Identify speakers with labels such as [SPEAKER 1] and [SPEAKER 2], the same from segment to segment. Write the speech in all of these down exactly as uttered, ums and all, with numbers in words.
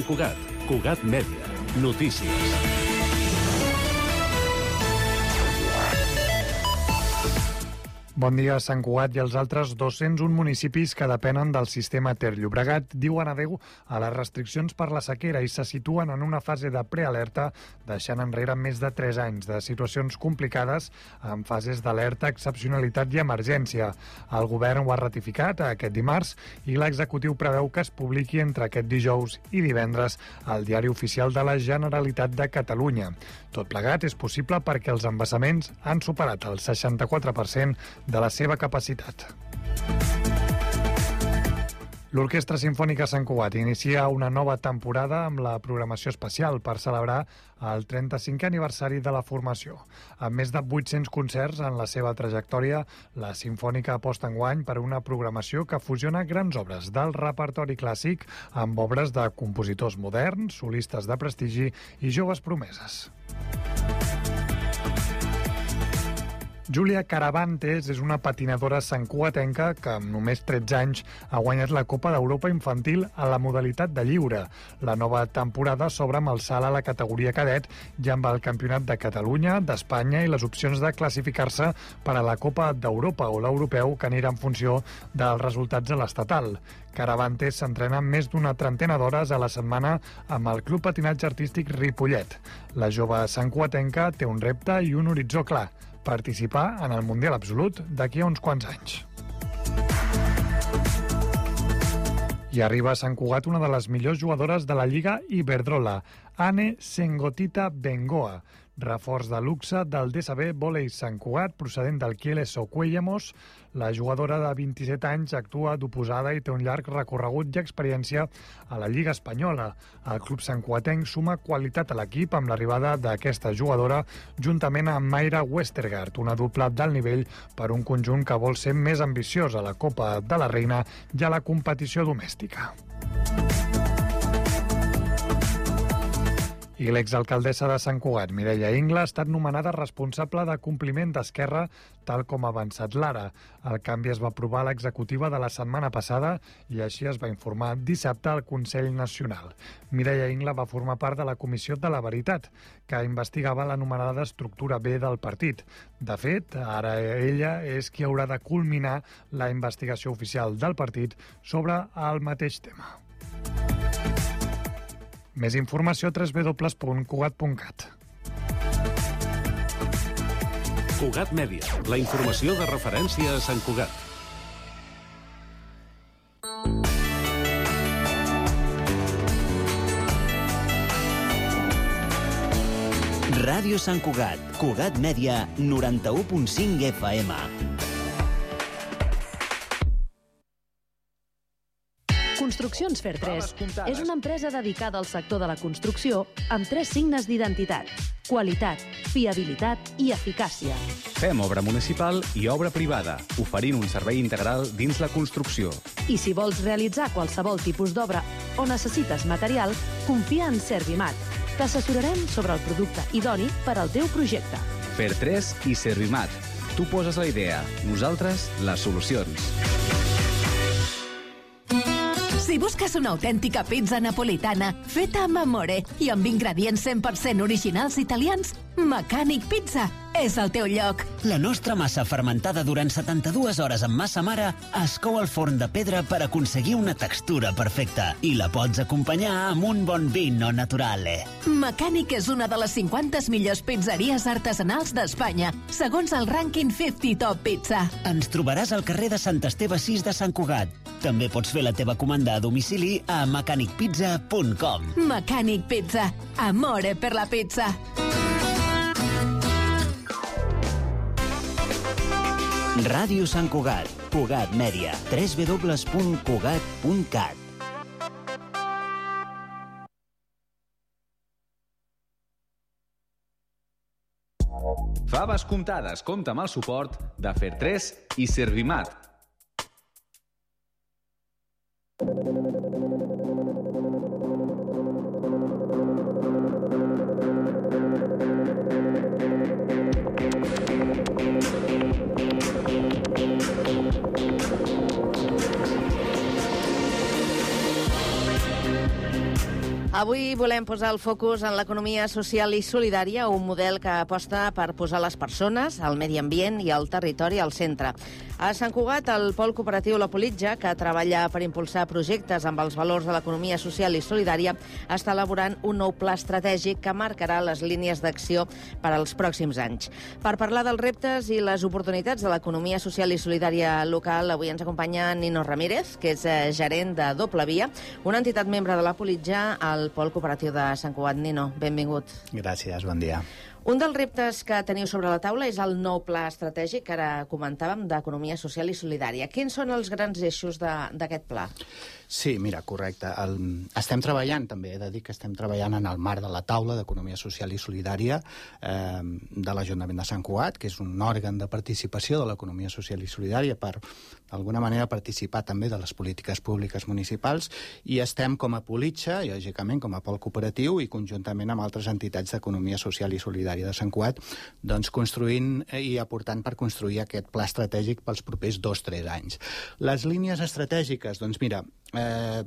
[SPEAKER 1] Cugat, Cugat Mèdia, notícies.
[SPEAKER 2] Bon dia. Sant Cugat i els altres dos-cents un municipis que depenen del sistema Ter Llobregat diuen adeu a les restriccions per la sequera i se situen en una fase de prealerta, deixant enrere més de tres anys de situacions complicades en fases d'alerta, excepcionalitat i emergència. El govern ho ha ratificat aquest dimarts i l'executiu preveu que es publiqui entre aquest dijous i divendres al Diari Oficial de la Generalitat de Catalunya. Tot plegat és possible perquè els embassaments han superat el seixanta-quatre per cent de la seva capacitat. L'Orquestra Simfònica Sant Cugat inicia una nova temporada amb la programació especial per celebrar el trenta-cinquè aniversari de la formació. Amb més de vuit-cents concerts en la seva trajectòria, la Simfònica aposta enguany per una programació que fusiona grans obres del repertori clàssic amb obres de compositors moderns, solistes de prestigi i joves promeses. Júlia Caravantes és una patinadora santcugatenca que amb només tretze anys ha guanyat la Copa d'Europa Infantil a la modalitat de lliure. La nova temporada s'obre amb el salt a la categoria cadet i amb el Campionat de Catalunya, d'Espanya i les opcions de classificar-se per a la Copa d'Europa o l'Europeu, que anirà en funció dels resultats a l'estatal. Caravantes s'entrena més d'una trentena d'hores a la setmana amb el Club Patinatge Artístic Ripollet. La jove santcugatenca té un repte i un horitzó clar: participar en el Mundial Absolut d'aquí a uns quants anys. I arriba a Sant Cugat una de les millors jugadores de la Lliga Iberdrola, Ane Sengotita Bengoa, reforç de luxe del D S B Vòlei Sant Cugat, procedent del Kieles Ocuellamos. La jugadora de vint-i-set anys actua d'oposada i té un llarg recorregut i experiència a la Lliga Espanyola. El club santcugatenc suma qualitat a l'equip amb l'arribada d'aquesta jugadora juntament amb Mayra Westergaard, una dupla d'alt nivell per un conjunt que vol ser més ambiciós a la Copa de la Reina i a la competició domèstica. I l'exalcaldessa de Sant Cugat, Mireia Ingla, ha estat nomenada responsable de compliment d'Esquerra, tal com ha avançat l'Ara. El canvi es va aprovar a l'executiva de la setmana passada i així es va informar dissabte al Consell Nacional. Mireia Ingla va formar part de la Comissió de la Veritat, que investigava l'anomenada d'estructura B del partit. De fet, ara ella és qui haurà de culminar la investigació oficial del partit sobre el mateix tema. Més informació a w w w punt cugat punt cat.
[SPEAKER 1] Cugat Mèdia, la informació de referència a Sant Cugat.
[SPEAKER 3] Ràdio Sant Cugat, Cugat Mèdia, noranta-u punt cinc F M.
[SPEAKER 4] Construccions Fer tres és una empresa dedicada al sector de la construcció amb tres signes d'identitat: qualitat, fiabilitat i eficàcia.
[SPEAKER 5] Fem obra municipal i obra privada, oferint un servei integral dins la construcció.
[SPEAKER 4] I si vols realitzar qualsevol tipus d'obra o necessites material, confia en Servimat. T'assessorarem sobre el producte idoni per al teu projecte.
[SPEAKER 5] Fer tres i Servimat. Tu poses la idea, nosaltres les solucions.
[SPEAKER 6] Si busques una autèntica pizza napolitana feta amb amore i amb ingredients cent per cent originals italians, Mecànic Pizza és el teu lloc.
[SPEAKER 3] La nostra massa fermentada durant setanta-dues hores amb massa mare es cou al forn de pedra per aconseguir una textura perfecta i la pots acompanyar amb un bon vino naturale.
[SPEAKER 6] Mecànic és una de les cinquanta millors pizzeries artesanals d'Espanya, segons el rànquing cinquanta Top Pizza.
[SPEAKER 3] Ens trobaràs al carrer de Sant Esteve sis de Sant Cugat. També pots fer la teva comanda a domicili a mecànic pizza punt com.
[SPEAKER 6] Mecànic Pizza. Amore per la pizza.
[SPEAKER 3] Ràdio Sant Cugat, Cugat Mèdia, w w w punt cugat punt cat.
[SPEAKER 5] Faves comptades, compta amb el suport de Fer tres i Servimat.
[SPEAKER 7] Avui volem posar el focus en l'economia social i solidària, un model que aposta per posar les persones, el medi ambient i el territori al centre. A Sant Cugat, el pol cooperatiu La Politja, que treballa per impulsar projectes amb els valors de l'economia social i solidària, està elaborant un nou pla estratègic que marcarà les línies d'acció per als pròxims anys. Per parlar dels reptes i les oportunitats de l'economia social i solidària local, avui ens acompanya Nino Ramírez, que és gerent de Doble Via, una entitat membre de La Politja al pol cooperatiu de Sant Cugat. Nino, benvingut.
[SPEAKER 8] Gràcies, bon dia.
[SPEAKER 7] Un dels reptes que teniu sobre la taula és el nou pla estratègic que ara comentàvem d'economia social i solidària. Quins són els grans eixos d'aquest pla?
[SPEAKER 8] Sí, mira, correcte. El, estem treballant, també he de dir que estem treballant en el marc de la taula d'economia social i solidària eh, de l'Ajuntament de Sant Cugat, que és un òrgan de participació de l'economia social i solidària per, d'alguna manera, participar també de les polítiques públiques municipals, i estem com a Politja, i lògicament com a pol cooperatiu i conjuntament amb altres entitats d'economia social i solidària de Sant Cugat, doncs construint i aportant per construir aquest pla estratègic pels propers dos o tres anys. Les línies estratègiques, doncs mira, eh,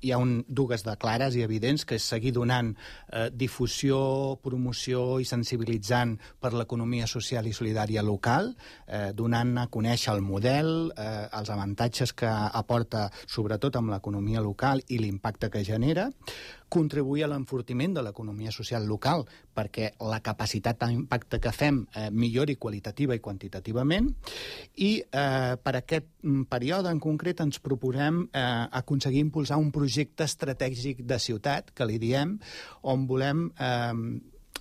[SPEAKER 8] hi ha un, dues de clares i evidents, que és seguir donant eh, difusió, promoció i sensibilitzant per l'economia social i solidària local, eh, donant a conèixer el model, eh, els avantatges que aporta sobretot amb l'economia local i l'impacte que genera, contribuir a l'enfortiment de l'economia social local perquè la capacitat d'impacte que fem eh, millori qualitativa i quantitativament, i eh, per aquest període en concret ens proposem eh, aconseguir impulsar un projecte estratègic de ciutat, que li diem, on volem eh,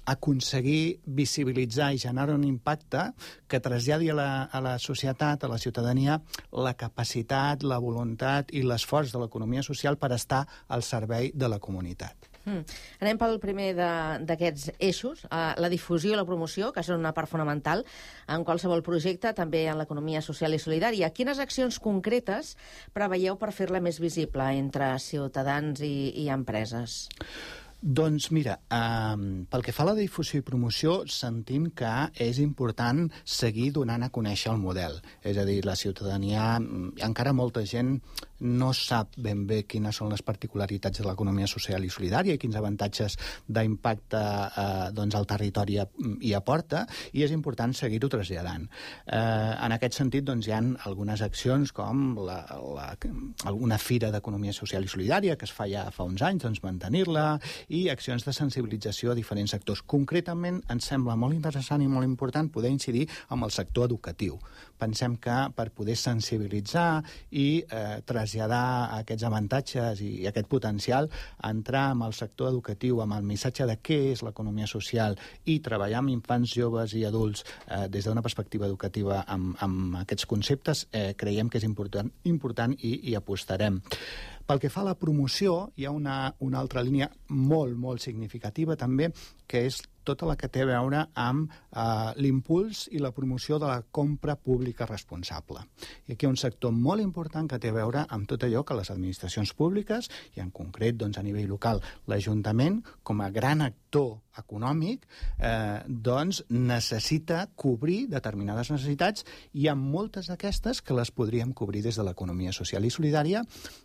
[SPEAKER 8] aconseguir visibilitzar i generar un impacte que traslladi a la, a la societat, a la ciutadania, la capacitat, la voluntat i l'esforç de l'economia social per estar al servei de la comunitat.
[SPEAKER 7] Mm. Anem pel primer d'aquests eixos, uh, la difusió i la promoció, que són una part fonamental en qualsevol projecte, també en l'economia social i solidària. Quines accions concretes preveieu per fer-la més visible entre ciutadans i, i empreses?
[SPEAKER 8] Doncs mira, eh, pel que fa a la difusió i promoció, sentim que és important seguir donant a conèixer el model. És a dir, la ciutadania, encara molta gent no sap ben bé quines són les particularitats de l'economia social i solidària i quins avantatges d'impacte eh, doncs al territori hi aporta, i és important seguir-ho traslladant. Eh, en aquest sentit, doncs, hi ha algunes accions com la, la, alguna fira d'economia social i solidària que es fa ja fa uns anys, doncs mantenir-la, i accions de sensibilització a diferents sectors. Concretament, ens sembla molt interessant i molt important poder incidir amb el sector educatiu. Pensem que per poder sensibilitzar i eh, traslladar aquests avantatges i, i aquest potencial, entrar amb el sector educatiu, amb el missatge de què és l'economia social i treballar amb infants, joves i adults eh, des d'una perspectiva educativa amb, amb aquests conceptes, eh, creiem que és important, important i, i apostarem. Pel que fa a la promoció, hi ha una, una altra línia molt, molt significativa també, que és tota la que té a veure amb eh, l'impuls i la promoció de la compra pública responsable. I aquí hi ha un sector molt important que té a veure amb tot allò que les administracions públiques, i en concret doncs, a nivell local l'Ajuntament, com a gran actor econòmic, eh, doncs necessita cobrir determinades necessitats, i hi ha moltes d'aquestes que les podríem cobrir des de l'economia social i solidària,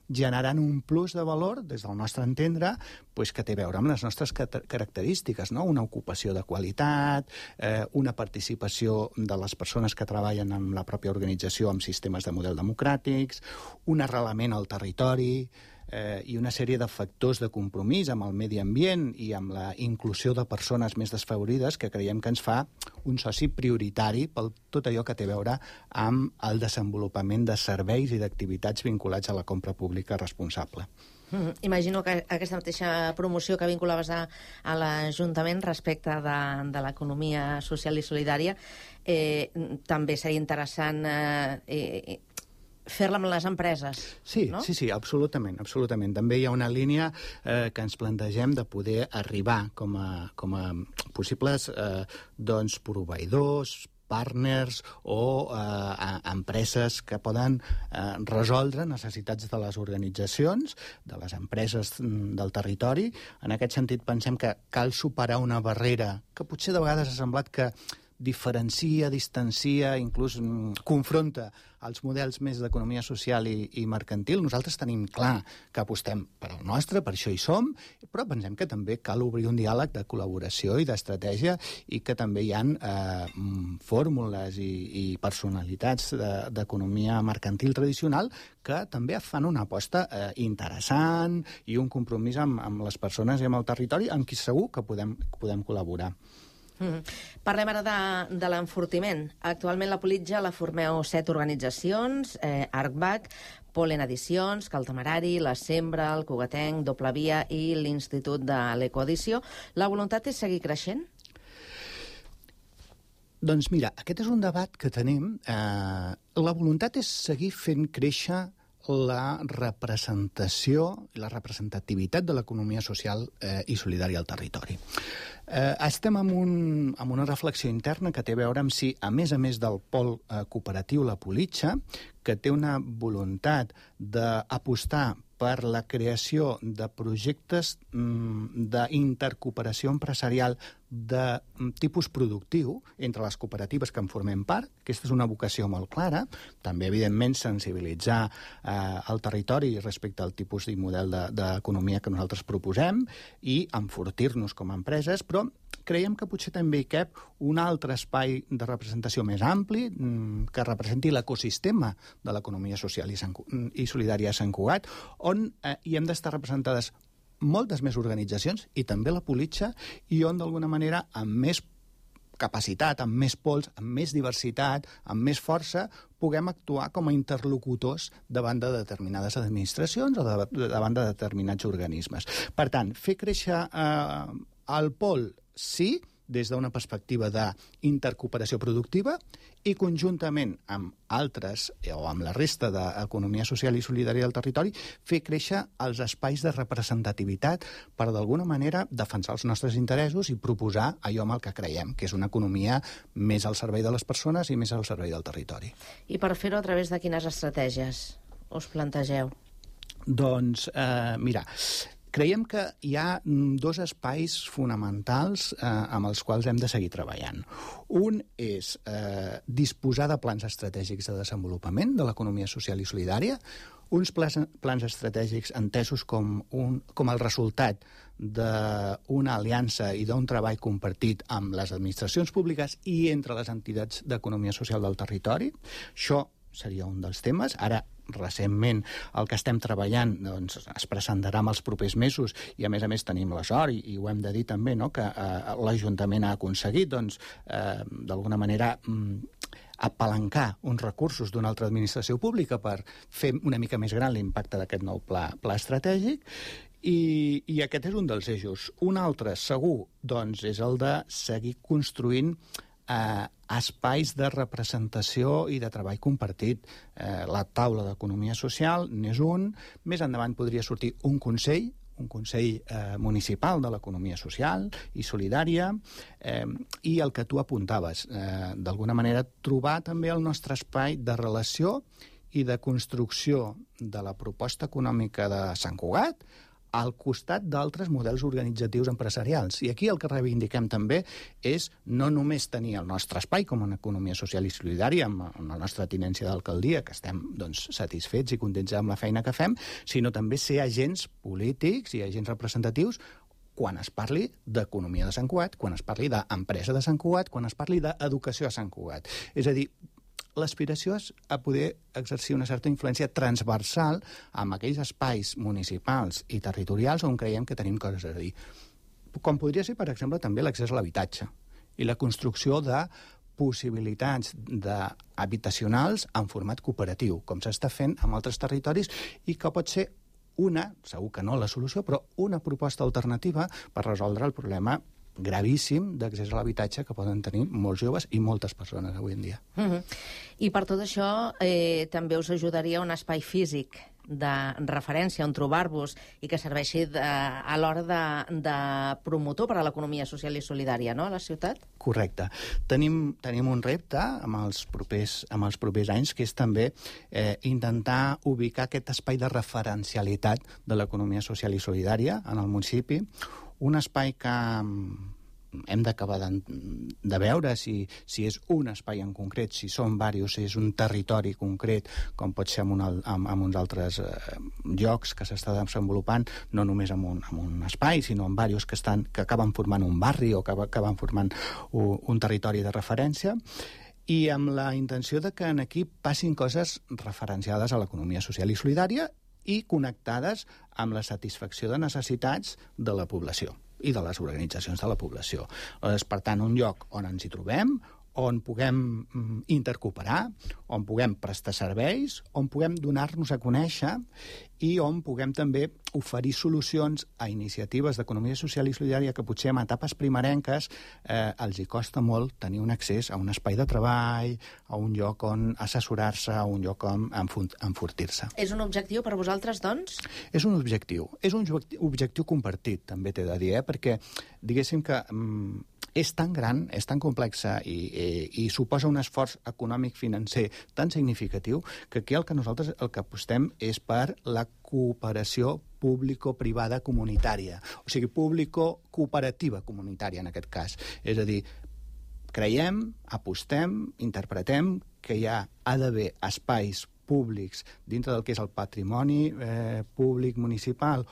[SPEAKER 8] generant un plus de valor, des del nostre entendre, pues, que té a veure amb les nostres característiques, no? Una ocupació de qualitat, eh, una participació de les persones que treballen en la pròpia organització amb sistemes de model democràtics, un arrelament al territori, eh, i una sèrie de factors de compromís amb el medi ambient i amb la inclusió de persones més desfavorides, que creiem que ens fa un soci prioritari per tot allò que té a veure amb el desenvolupament de serveis i d'activitats vinculats a la compra pública responsable.
[SPEAKER 7] Mm, imagino que aquesta mateixa promoció que vinculaves a, a l'Ajuntament respecte de, de l'economia social i solidària eh, també seria interessant eh, eh, fer-la amb les empreses,
[SPEAKER 8] sí,
[SPEAKER 7] no?
[SPEAKER 8] Sí, sí, absolutament, absolutament. També hi ha una línia eh, que ens plantegem de poder arribar com a, com a possibles eh, doncs, proveïdors, partners o eh, empreses que poden eh, resoldre necessitats de les organitzacions, de les empreses del territori. En aquest sentit, pensem que cal superar una barrera que potser de vegades ha semblat que diferencia, distancia, inclús mm, confronta els models més d'economia social i, i mercantil. Nosaltres tenim clar que apostem per al nostre, per això hi som, però pensem que també cal obrir un diàleg de col·laboració i d'estratègia i que també hi ha eh, fórmules i, i personalitats d'economia de, mercantil tradicional que també fan una aposta eh, interessant i un compromís amb, amb les persones i amb el territori amb qui segur que podem, podem col·laborar.
[SPEAKER 7] Mm. Parlem ara de, de l'enfortiment. Actualment la Politja la formeu set organitzacions, eh, ArcBac, Polen Edicions, Caltamarari, La Sembra, el Cugatenc, Doble Via i l'Institut de l'Ecoedició. La voluntat és seguir creixent?
[SPEAKER 8] Doncs mira, aquest és un debat que tenim. Eh, la voluntat és seguir fent créixer la representació i la representativitat de l'economia social eh, i solidària al territori. Eh, estem en, un, en una reflexió interna que té a veure amb si, a més a més del pol eh, cooperatiu La Politja, que té una voluntat d'apostar per la creació de projectes mm, d'intercooperació empresarial de tipus productiu entre les cooperatives que en formem part. Aquesta és una vocació molt clara. També, evidentment, sensibilitzar eh, el territori respecte al tipus i model d'economia de, que nosaltres proposem i enfortir-nos com a empreses, però creiem que potser també hi cap un altre espai de representació més ampli mm, que representi l'ecosistema de l'economia social i, i solidària a Sant Cugat, on eh, hi hem d'estar representades moltes més organitzacions, i també la Politja, i on, d'alguna manera, amb més capacitat, amb més pols, amb més diversitat, amb més força, puguem actuar com a interlocutors davant de determinades administracions o de, de, davant de determinats organismes. Per tant, fer créixer eh, el pol, sí, des d'una perspectiva d'intercooperació productiva i conjuntament amb altres o amb la resta d'economia social i solidària del territori fer créixer els espais de representativitat per d'alguna manera defensar els nostres interessos i proposar allò amb el que creiem, que és una economia més al servei de les persones i més al servei del territori.
[SPEAKER 7] I per fer-ho a través de quines estratègies us plantegeu?
[SPEAKER 8] Doncs, eh, mira, creiem que hi ha dos espais fonamentals eh, amb els quals hem de seguir treballant. Un és eh, disposar de plans estratègics de desenvolupament de l'economia social i solidària, uns plans, plans estratègics entesos com, un, com el resultat d'una aliança i d'un treball compartit amb les administracions públiques i entre les entitats d'economia social del territori. Això seria un dels temes. Ara, recentment, el que estem treballant doncs, es presentarà en els propers mesos i, a més a més, tenim la sort, i, i ho hem de dir també, no?, que eh, l'Ajuntament ha aconseguit, doncs, eh, d'alguna manera, mm, apalancar uns recursos d'una altra administració pública per fer una mica més gran l'impacte d'aquest nou pla, pla estratègic, i, i aquest és un dels eixos. Un altre, segur, doncs, és el de seguir construint Eh, espais de representació i de treball compartit. Eh, la taula d'economia social n'és un. Més endavant podria sortir un consell, un consell eh, municipal de l'economia social i solidària, eh, i el que tu apuntaves, eh, d'alguna manera trobar també el nostre espai de relació i de construcció de la proposta econòmica de Sant Cugat al costat d'altres models organitzatius empresarials. I aquí el que reivindiquem també és no només tenir el nostre espai com una economia social i solidària amb, amb la nostra tinència d'alcaldia, que estem doncs, satisfets i contents amb la feina que fem, sinó també ser agents polítics i agents representatius quan es parli d'economia de Sant Cugat, quan es parli d'empresa de Sant Cugat, quan es parli d'educació a Sant Cugat. És a dir, l'aspiració és a poder exercir una certa influència transversal amb aquells espais municipals i territorials on creiem que tenim coses a dir. Com podria ser, per exemple, també l'accés a l'habitatge i la construcció de possibilitats habitacionals en format cooperatiu, com s'està fent en altres territoris i que pot ser una, segur que no la solució, però una proposta alternativa per resoldre el problema gravíssim d'accés a l'habitatge que poden tenir molts joves i moltes persones avui en dia.
[SPEAKER 7] Uh-huh. I per tot això eh, també us ajudaria un espai físic de referència on trobar-vos i que serveixi de, a l'hora de, de promotor per a l'economia social i solidària, no?, a la ciutat?
[SPEAKER 8] Correcte. Tenim, tenim un repte amb els, propers, amb els propers anys, que és també eh, intentar ubicar aquest espai de referencialitat de l'economia social i solidària en el municipi, un espai que hem d'acabar de, de veure si, si és un espai en concret, si són diversos, si és un territori concret, com pot ser en, un, en, en uns altres eh, llocs que s'està desenvolupant, no només en un, en un espai, sinó en diversos que, estan, que acaben formant un barri o que acaben formant un, un territori de referència, i amb la intenció de que en aquí passin coses referenciades a l'economia social i solidària i connectades amb la satisfacció de necessitats de la població i de les organitzacions de la població. És, per tant, un lloc on ens hi trobem, on puguem intercooperar, on puguem prestar serveis, on puguem donar-nos a conèixer i on puguem també oferir solucions a iniciatives d'economia social i solidària que potser en etapes primerenques eh, els hi costa molt tenir un accés a un espai de treball, a un lloc on assessorar-se, a un lloc on enfortir-se.
[SPEAKER 7] És un objectiu per vosaltres, doncs?
[SPEAKER 8] És un objectiu. És un objectiu compartit, també t'he de dir, eh? Perquè diguéssim que mm, és tan gran, és tan complexa i, i, i suposa un esforç econòmic financer tan significatiu que aquí el que nosaltres el que apostem és per la cooperació público-privada comunitària, o sigui, público-cooperativa comunitària en aquest cas. És a dir, creiem, apostem, interpretem que hi ha, ha d'haver espais públics dintre del que és el patrimoni eh, públic municipal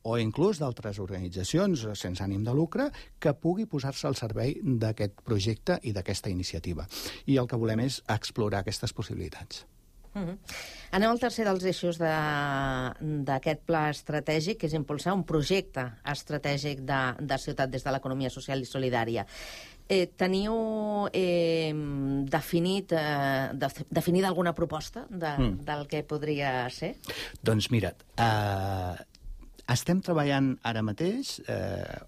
[SPEAKER 8] o inclús d'altres organitzacions sense ànim de lucre, que pugui posar-se al servei d'aquest projecte i d'aquesta iniciativa. I el que volem és explorar aquestes possibilitats.
[SPEAKER 7] Mm-hmm. Anem al tercer dels eixos d'aquest pla estratègic, que és impulsar un projecte estratègic de, de ciutat des de l'economia social i solidària. Eh, teniu eh, definit, eh, de, definida alguna proposta de, mm. del que podria ser?
[SPEAKER 8] Doncs mira't, eh... estem treballant ara mateix eh,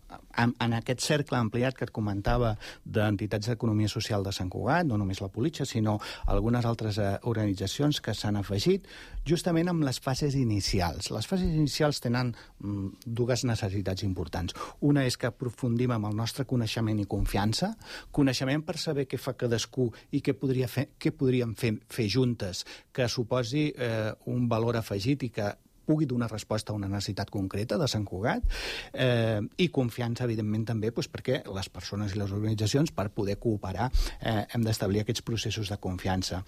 [SPEAKER 8] en, en aquest cercle ampliat que et comentava d'entitats d'economia social de Sant Cugat, no només la Politxa, sinó algunes altres eh, organitzacions que s'han afegit, justament amb les fases inicials. Les fases inicials tenen mm, dues necessitats importants. Una és que aprofundim amb el nostre coneixement i confiança, coneixement per saber què fa cadascú i què, podria fer, què podríem fer, fer juntes, que suposi eh, un valor afegit i que pugui donar resposta a una necessitat concreta de Sant Cugat, eh, i confiança, evidentment, també, doncs, perquè les persones i les organitzacions, per poder cooperar, eh, hem d'establir aquests processos de confiança.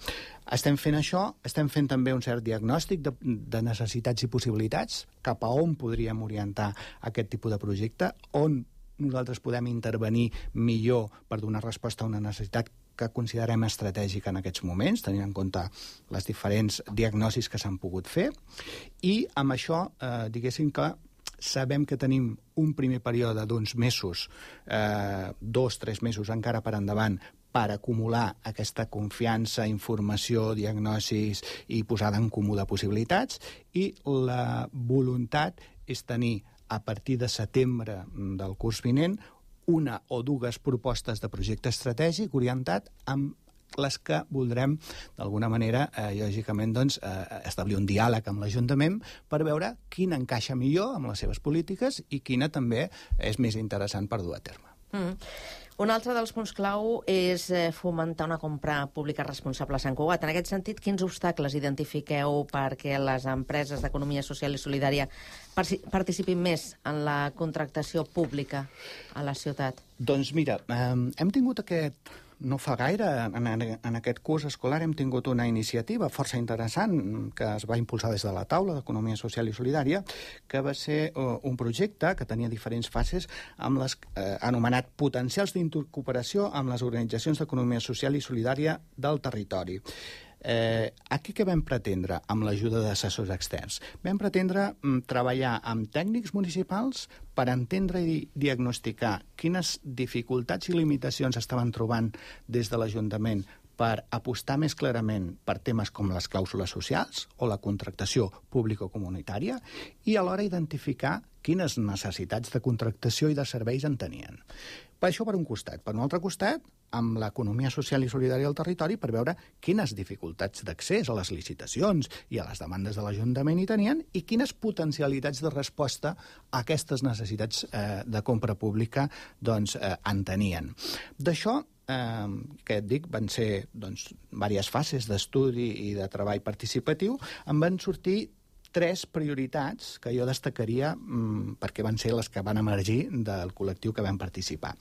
[SPEAKER 8] Estem fent això, estem fent també un cert diagnòstic de, de necessitats i possibilitats, cap a on podríem orientar aquest tipus de projecte, on nosaltres podem intervenir millor per donar resposta a una necessitat que considerem estratègica en aquests moments, tenint en compte les diferents diagnosis que s'han pogut fer, i amb això, eh, diguéssim que sabem que tenim un primer període d'uns mesos, eh, dos, tres mesos encara per endavant, per acumular aquesta confiança, informació, diagnosis i posada en comú de possibilitats, i la voluntat és tenir, a partir de setembre del curs vinent, una o dues propostes de projecte estratègic orientat amb les que voldrem, d'alguna manera, eh, lògicament, doncs, eh, establir un diàleg amb l'Ajuntament per veure quina encaixa millor amb les seves polítiques i quina també és més interessant per dur a terme.
[SPEAKER 7] Mm. Un altre dels punts clau és fomentar una compra pública responsable a Sant Cugat. En aquest sentit, quins obstacles identifiqueu perquè les empreses d'economia social i solidària participin més en la contractació pública a la ciutat?
[SPEAKER 8] Doncs mira, eh, hem tingut aquest... No fa gaire, en, en aquest curs escolar, hem tingut una iniciativa força interessant que es va impulsar des de la taula d'Economia Social i Solidària, que va ser uh, un projecte que tenia diferents fases amb les eh, anomenat potencials d'intercooperació amb les organitzacions d'economia social i solidària del territori. Eh, aquí què vam pretendre amb l'ajuda d'assessors externs? Vam pretendre mm, treballar amb tècnics municipals per entendre i diagnosticar quines dificultats i limitacions estaven trobant des de l'Ajuntament per apostar més clarament per temes com les clàusules socials o la contractació público-comunitària i alhora identificar quines necessitats de contractació i de serveis en tenien. Per això per un costat. Per un altre costat, amb l'economia social i solidària del territori per veure quines dificultats d'accés a les licitacions i a les demandes de l'Ajuntament hi tenien i quines potencialitats de resposta a aquestes necessitats eh, de compra pública doncs, eh, en tenien. D'això, eh, que et dic, van ser doncs, diverses fases d'estudi i de treball participatiu, en van sortir tres prioritats que jo destacaria mmm, perquè van ser les que van emergir del col·lectiu que vam participar.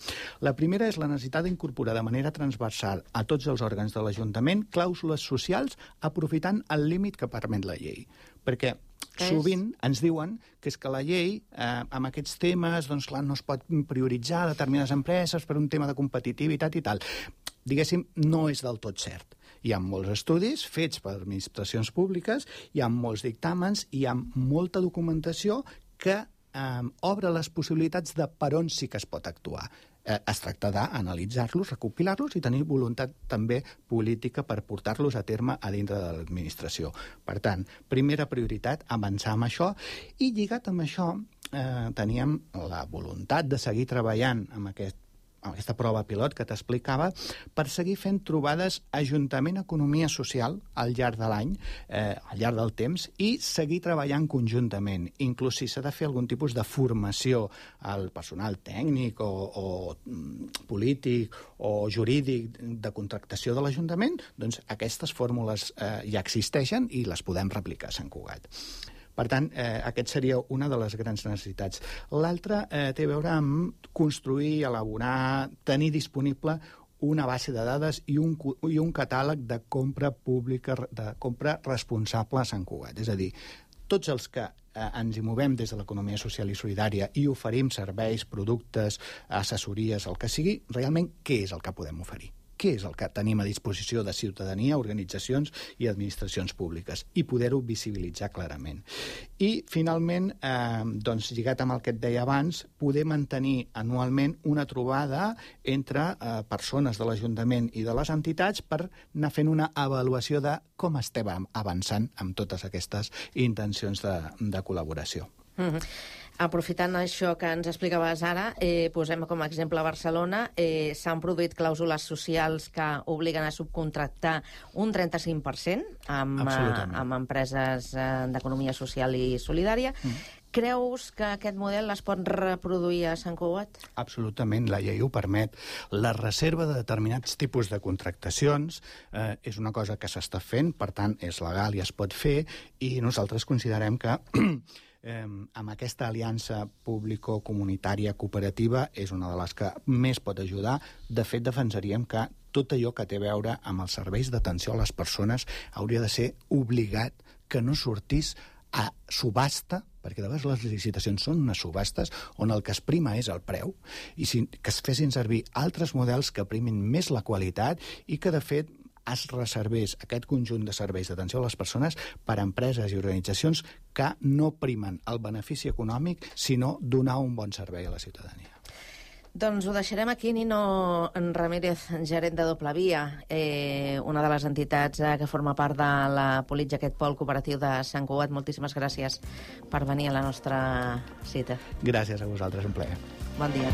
[SPEAKER 8] La primera és la necessitat d'incorporar de manera transversal a tots els òrgans de l'Ajuntament clàusules socials aprofitant el límit que permet la llei. Perquè sovint ens diuen que és que la llei, eh, amb aquests temes, doncs clar, no es pot prioritzar determinades empreses per un tema de competitivitat i tal. Diguéssim, no és del tot cert. Hi ha molts estudis fets per administracions públiques, hi ha molts dictàmens, hi ha molta documentació que eh, obre les possibilitats de per on sí que es pot actuar. Eh, es tracta d'analitzar-los, recopilar-los i tenir voluntat també política per portar-los a terme a dintre de l'administració. Per tant, primera prioritat, avançar amb això, i lligat amb això eh, teníem la voluntat de seguir treballant amb aquest aquesta prova pilot que t'explicava, per seguir fent trobades Ajuntament-Economia Social al llarg de l'any, eh, al llarg del temps, i seguir treballant conjuntament. Inclús si s'ha de fer algun tipus de formació al personal tècnic o, o polític o jurídic de contractació de l'Ajuntament, doncs aquestes fórmules eh, ja existeixen i les podem replicar a Sant Cugat. Per tant, eh, aquest seria una de les grans necessitats. L'altra eh, té a veure amb construir, elaborar, tenir disponible una base de dades i un, i un catàleg de compra pública, de compra responsable a Sant Cugat. És a dir, tots els que eh, ens hi movem des de l'economia social i solidària i oferim serveis, productes, assessories, el que sigui, realment què és el que podem oferir? Què és el que tenim a disposició de ciutadania, organitzacions i administracions públiques, i poder-ho visibilitzar clarament. I, finalment, eh, doncs, lligat amb el que et deia abans, poder mantenir anualment una trobada entre eh, persones de l'Ajuntament i de les entitats per anar fent una avaluació de com estem avançant amb totes aquestes intencions de, de col·laboració.
[SPEAKER 7] Mm-hmm. Aprofitant això que ens explicaves ara, eh, posem com a exemple a Barcelona, eh, s'han produït clàusules socials que obliguen a subcontractar un trenta-cinc per cent amb, eh, amb empreses eh, d'economia social i solidària. Mm. Creus que aquest model es pot reproduir a Sant Cugat?
[SPEAKER 8] Absolutament, la llei ho permet. La reserva de determinats tipus de contractacions eh, és una cosa que s'està fent, per tant, és legal i es pot fer, i nosaltres considerem que Eh, amb aquesta aliança público-comunitària cooperativa és una de les que més pot ajudar. De fet, defensaríem que tot allò que té a veure amb els serveis d'atenció a les persones hauria de ser obligat que no sortís a subhasta, perquè de vegades les licitacions són unes subhastes on el que es prima és el preu, i si, que es fessin servir altres models que primin més la qualitat i que, de fet, es reservés aquest conjunt de serveis d'atenció a les persones per a empreses i organitzacions que no primen el benefici econòmic, sinó donar un bon servei a la ciutadania.
[SPEAKER 7] Doncs ho deixarem aquí. Nino Ramírez, gerent de Doble Via, eh, una de les entitats eh, que forma part de la Politja, aquest pol cooperatiu de Sant Cugat. Moltíssimes gràcies per venir a la nostra cita.
[SPEAKER 8] Gràcies a vosaltres, un plaer.
[SPEAKER 7] Bon dia.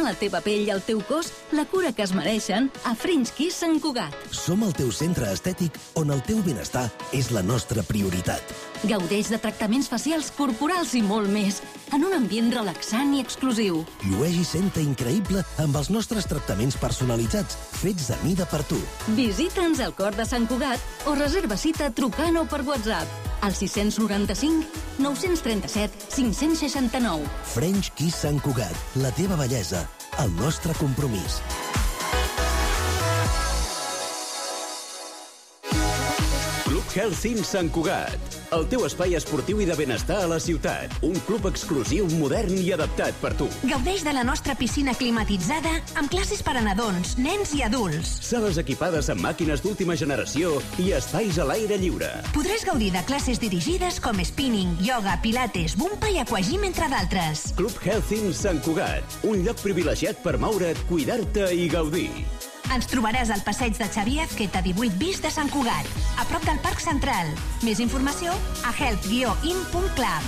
[SPEAKER 6] la teva pell i el teu cos la cura que es mereixen a French Kiss Sant Cugat.
[SPEAKER 9] Som el teu centre estètic on el teu benestar és la nostra prioritat.
[SPEAKER 6] Gaudeix de tractaments facials, corporals i molt més, en un ambient relaxant i exclusiu.
[SPEAKER 9] Llueix i senta increïble amb els nostres tractaments personalitzats, fets a mida per tu.
[SPEAKER 6] Visita'ns al cor de Sant Cugat o reserva cita trucant o per WhatsApp al sis noranta-cinc nou trenta-set cinc seixanta-nou.
[SPEAKER 9] French Kiss Sant Cugat, la teva bellesa, el nostre compromís.
[SPEAKER 1] Club Healthy Sant Cugat, el teu espai esportiu i de benestar a la ciutat. Un club exclusiu, modern i adaptat per tu.
[SPEAKER 10] Gaudeix de la nostra piscina climatitzada amb classes per a nadons, nens i adults.
[SPEAKER 1] Sales equipades amb màquines d'última generació i espais a l'aire lliure.
[SPEAKER 10] Podràs gaudir de classes dirigides com spinning, yoga, pilates, bumpa i aquagym, entre d'altres.
[SPEAKER 1] Club Healthy Sant Cugat, un lloc privilegiat per moure't, cuidar-te i gaudir.
[SPEAKER 10] Ens trobaràs al passeig de Xavier Azqueta divuit bis de Sant Cugat, a prop del Parc Central. Més informació a health guió in punt club.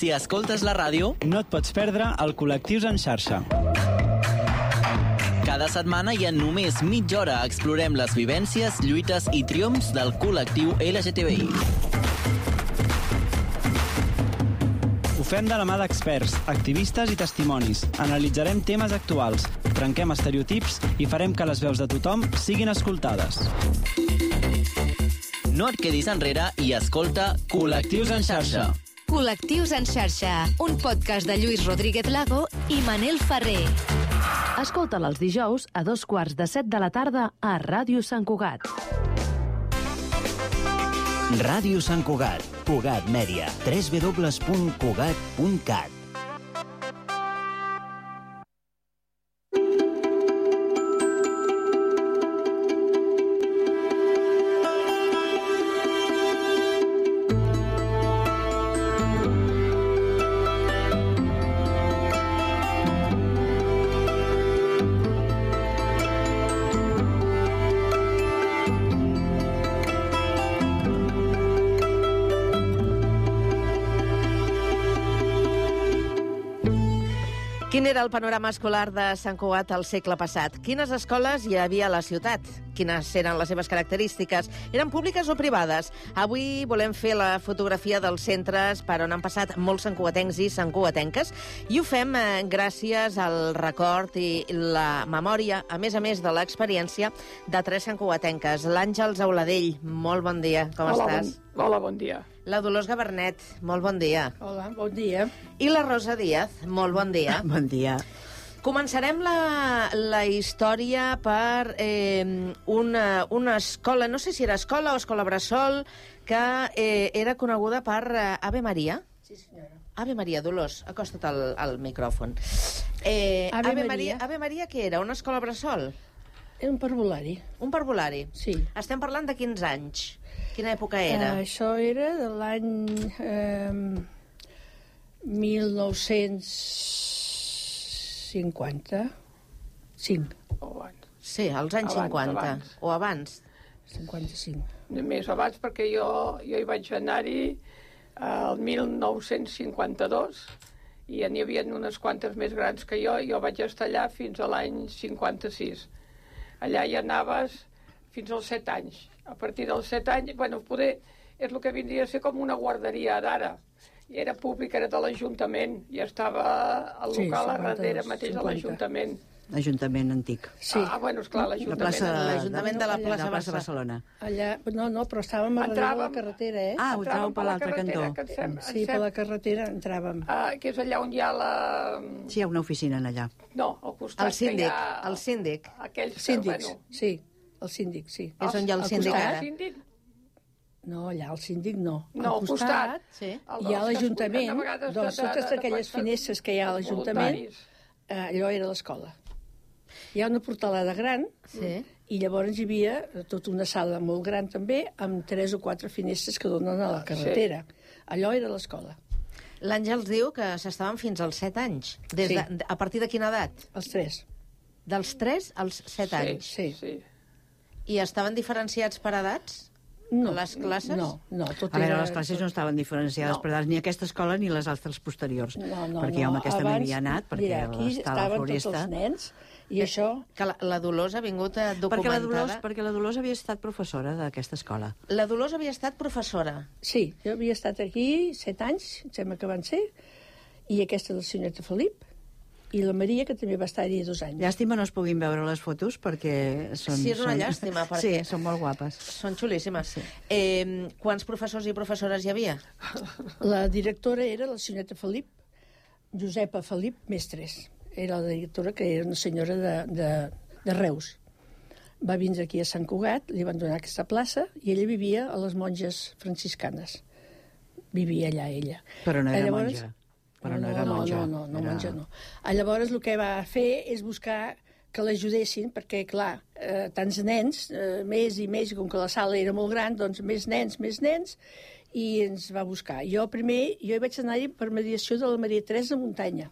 [SPEAKER 11] Si escoltes la ràdio,
[SPEAKER 12] no et pots perdre el Col·lectius en xarxa.
[SPEAKER 11] Cada setmana i en només mitja hora explorem les vivències, lluites i triomfs del col·lectiu L G T B I.
[SPEAKER 12] Ho fem de la mà d'experts, activistes i testimonis. Analitzarem temes actuals, trenquem estereotips i farem que les veus de tothom siguin escoltades.
[SPEAKER 11] No et quedis enrere i escolta Col·lectius en xarxa.
[SPEAKER 10] Col·lectius en xarxa, un podcast de Lluís Rodríguez Lago i Manel Ferrer.
[SPEAKER 4] Escolta'l els dijous a dos quarts de set de la tarda a Ràdio Sant Cugat.
[SPEAKER 3] Ràdio Sant Cugat, Cugat Mèdia, w w w punt cugat punt cat.
[SPEAKER 7] Quin era el panorama escolar de Sant Cugat al segle passat? Quines escoles hi havia a la ciutat? Quines eren les seves característiques? Eren públiques o privades? Avui volem fer la fotografia dels centres per on han passat molts santcugatencs i santcugatenques i ho fem eh, gràcies al record i la memòria, a més a més de l'experiència, de tres santcugatenques. L'Àngels Auladell, molt bon dia, com
[SPEAKER 13] Hola,
[SPEAKER 7] estàs?
[SPEAKER 13] Bon, hola, bon dia.
[SPEAKER 7] La Dolors Gabernet, molt bon dia.
[SPEAKER 13] Hola, bon dia.
[SPEAKER 7] I la Rosa Díaz, molt bon dia.
[SPEAKER 14] Bon dia.
[SPEAKER 7] Començarem la, la història per eh, una, una escola, no sé si era escola o escola bressol, que eh, era coneguda per eh, Ave Maria.
[SPEAKER 13] Sí, senyora.
[SPEAKER 7] Ave Maria, Dolors, acosta't al, al micròfon. Eh,
[SPEAKER 13] Ave
[SPEAKER 7] Ave,
[SPEAKER 13] Maria.
[SPEAKER 7] Maria. Ave Maria, què era? Una escola bressol?
[SPEAKER 13] Era un parvulari.
[SPEAKER 7] Un parvulari?
[SPEAKER 13] Sí.
[SPEAKER 7] Estem parlant de quins anys? Quina època era?
[SPEAKER 13] Uh, això era de l'any eh, mil nou-cents cinquanta-cinc. O abans.
[SPEAKER 7] Sí, als anys
[SPEAKER 13] abans,
[SPEAKER 7] cinquanta.
[SPEAKER 13] Abans.
[SPEAKER 7] O abans.
[SPEAKER 13] cinquanta-cinc.
[SPEAKER 15] Més abans, perquè jo, jo hi vaig anar-hi al mil nou-cents cinquanta-dos i n'hi havia unes quantes més grans que jo, i jo vaig estar allà fins a l'any cinquanta-sis. Allà hi anaves fins als set anys. A partir dels set anys, bueno, poder és el que vindria a ser com una guarderia d'ara. I era públic, era de l'Ajuntament, i estava al local sí, a darrere mateix de l'Ajuntament.
[SPEAKER 14] L'Ajuntament antic.
[SPEAKER 13] Sí.
[SPEAKER 15] Ah, bueno, esclar, l'Ajuntament.
[SPEAKER 7] L'Ajuntament de la plaça,
[SPEAKER 14] de la plaça Barcelona.
[SPEAKER 13] Allà, no, no, però estàvem a darrere de la carretera, eh?
[SPEAKER 14] Ah, ho entràvem per l'altre cantó.
[SPEAKER 13] Sem, sí, per la carretera entràvem.
[SPEAKER 15] Ah, que és allà on hi ha la...
[SPEAKER 14] Sí, hi ha una oficina allà.
[SPEAKER 15] No, al costat
[SPEAKER 7] el síndic,
[SPEAKER 15] que hi ha...
[SPEAKER 7] El síndic.
[SPEAKER 15] Aquells
[SPEAKER 13] Síndics,
[SPEAKER 15] que, bueno...
[SPEAKER 13] sí. El síndic, sí.
[SPEAKER 7] És on hi ha el síndic ara?
[SPEAKER 13] No, allà el síndic no.
[SPEAKER 15] No, al costat,
[SPEAKER 13] costat sí. Hi ha l'Ajuntament, doncs totes aquelles finestres que hi ha a l'Ajuntament, eh, allò era l'escola. Hi ha una portalada gran, sí. I llavors hi havia tota una sala molt gran també, amb tres o quatre finestres que donen a la carretera. Sí. Allò era l'escola.
[SPEAKER 7] L'Àngels diu que s'estaven fins als set anys. Des sí. de, a partir de quina edat?
[SPEAKER 13] Els tres.
[SPEAKER 7] Dels tres als set
[SPEAKER 15] sí,
[SPEAKER 7] anys?
[SPEAKER 13] Sí,
[SPEAKER 15] sí.
[SPEAKER 7] I estaven diferenciats per edats?
[SPEAKER 13] No.
[SPEAKER 7] Les classes?
[SPEAKER 13] No, no. Tot
[SPEAKER 14] a veure,
[SPEAKER 13] era...
[SPEAKER 14] les classes no estaven diferenciades no. per edats, ni aquesta escola ni les altres posteriors.
[SPEAKER 13] No, no,
[SPEAKER 14] perquè
[SPEAKER 13] no.
[SPEAKER 14] jo amb aquesta
[SPEAKER 13] Abans,
[SPEAKER 14] no havia anat, perquè
[SPEAKER 13] mira, aquí
[SPEAKER 14] estava
[SPEAKER 13] estaven
[SPEAKER 14] florista.
[SPEAKER 13] Tots els nens, i que, això...
[SPEAKER 7] Que la, la Dolors ha vingut documentada...
[SPEAKER 14] Perquè la, Dolors, perquè la Dolors havia estat professora d'aquesta escola.
[SPEAKER 7] La Dolors havia estat professora?
[SPEAKER 13] Sí, jo havia estat aquí set anys, em sembla que van ser, i aquesta del senyoreta Felip, i la Maria, que també va estar-hi dos anys.
[SPEAKER 14] Llàstima no es puguin veure les fotos, perquè són...
[SPEAKER 7] Sí, és una
[SPEAKER 14] són...
[SPEAKER 7] llàstima, perquè...
[SPEAKER 14] Sí, són molt guapes.
[SPEAKER 7] Són xulíssimes. Sí. Eh, quants professors i professores hi havia?
[SPEAKER 13] La directora era la senyoreta Felip, Josepa Felip Mestres. Era la directora, que era una senyora de, de, de Reus. Va vindre aquí a Sant Cugat, li van donar aquesta plaça, i ella vivia a les monges franciscanes. Vivia allà, ella.
[SPEAKER 14] Però no era
[SPEAKER 13] llavors,
[SPEAKER 14] monja. Però no,
[SPEAKER 13] no
[SPEAKER 14] era monja.
[SPEAKER 13] No, no, no, no
[SPEAKER 14] era...
[SPEAKER 13] monja no. Llavors el que va fer és buscar que l'ajudessin, perquè, clar, eh, tants nens, eh, més i més, com que la sala era molt gran, doncs més nens, més nens, i ens va buscar. Jo primer, jo hi vaig anar-hi per mediació de la Maria Teresa Muntanya,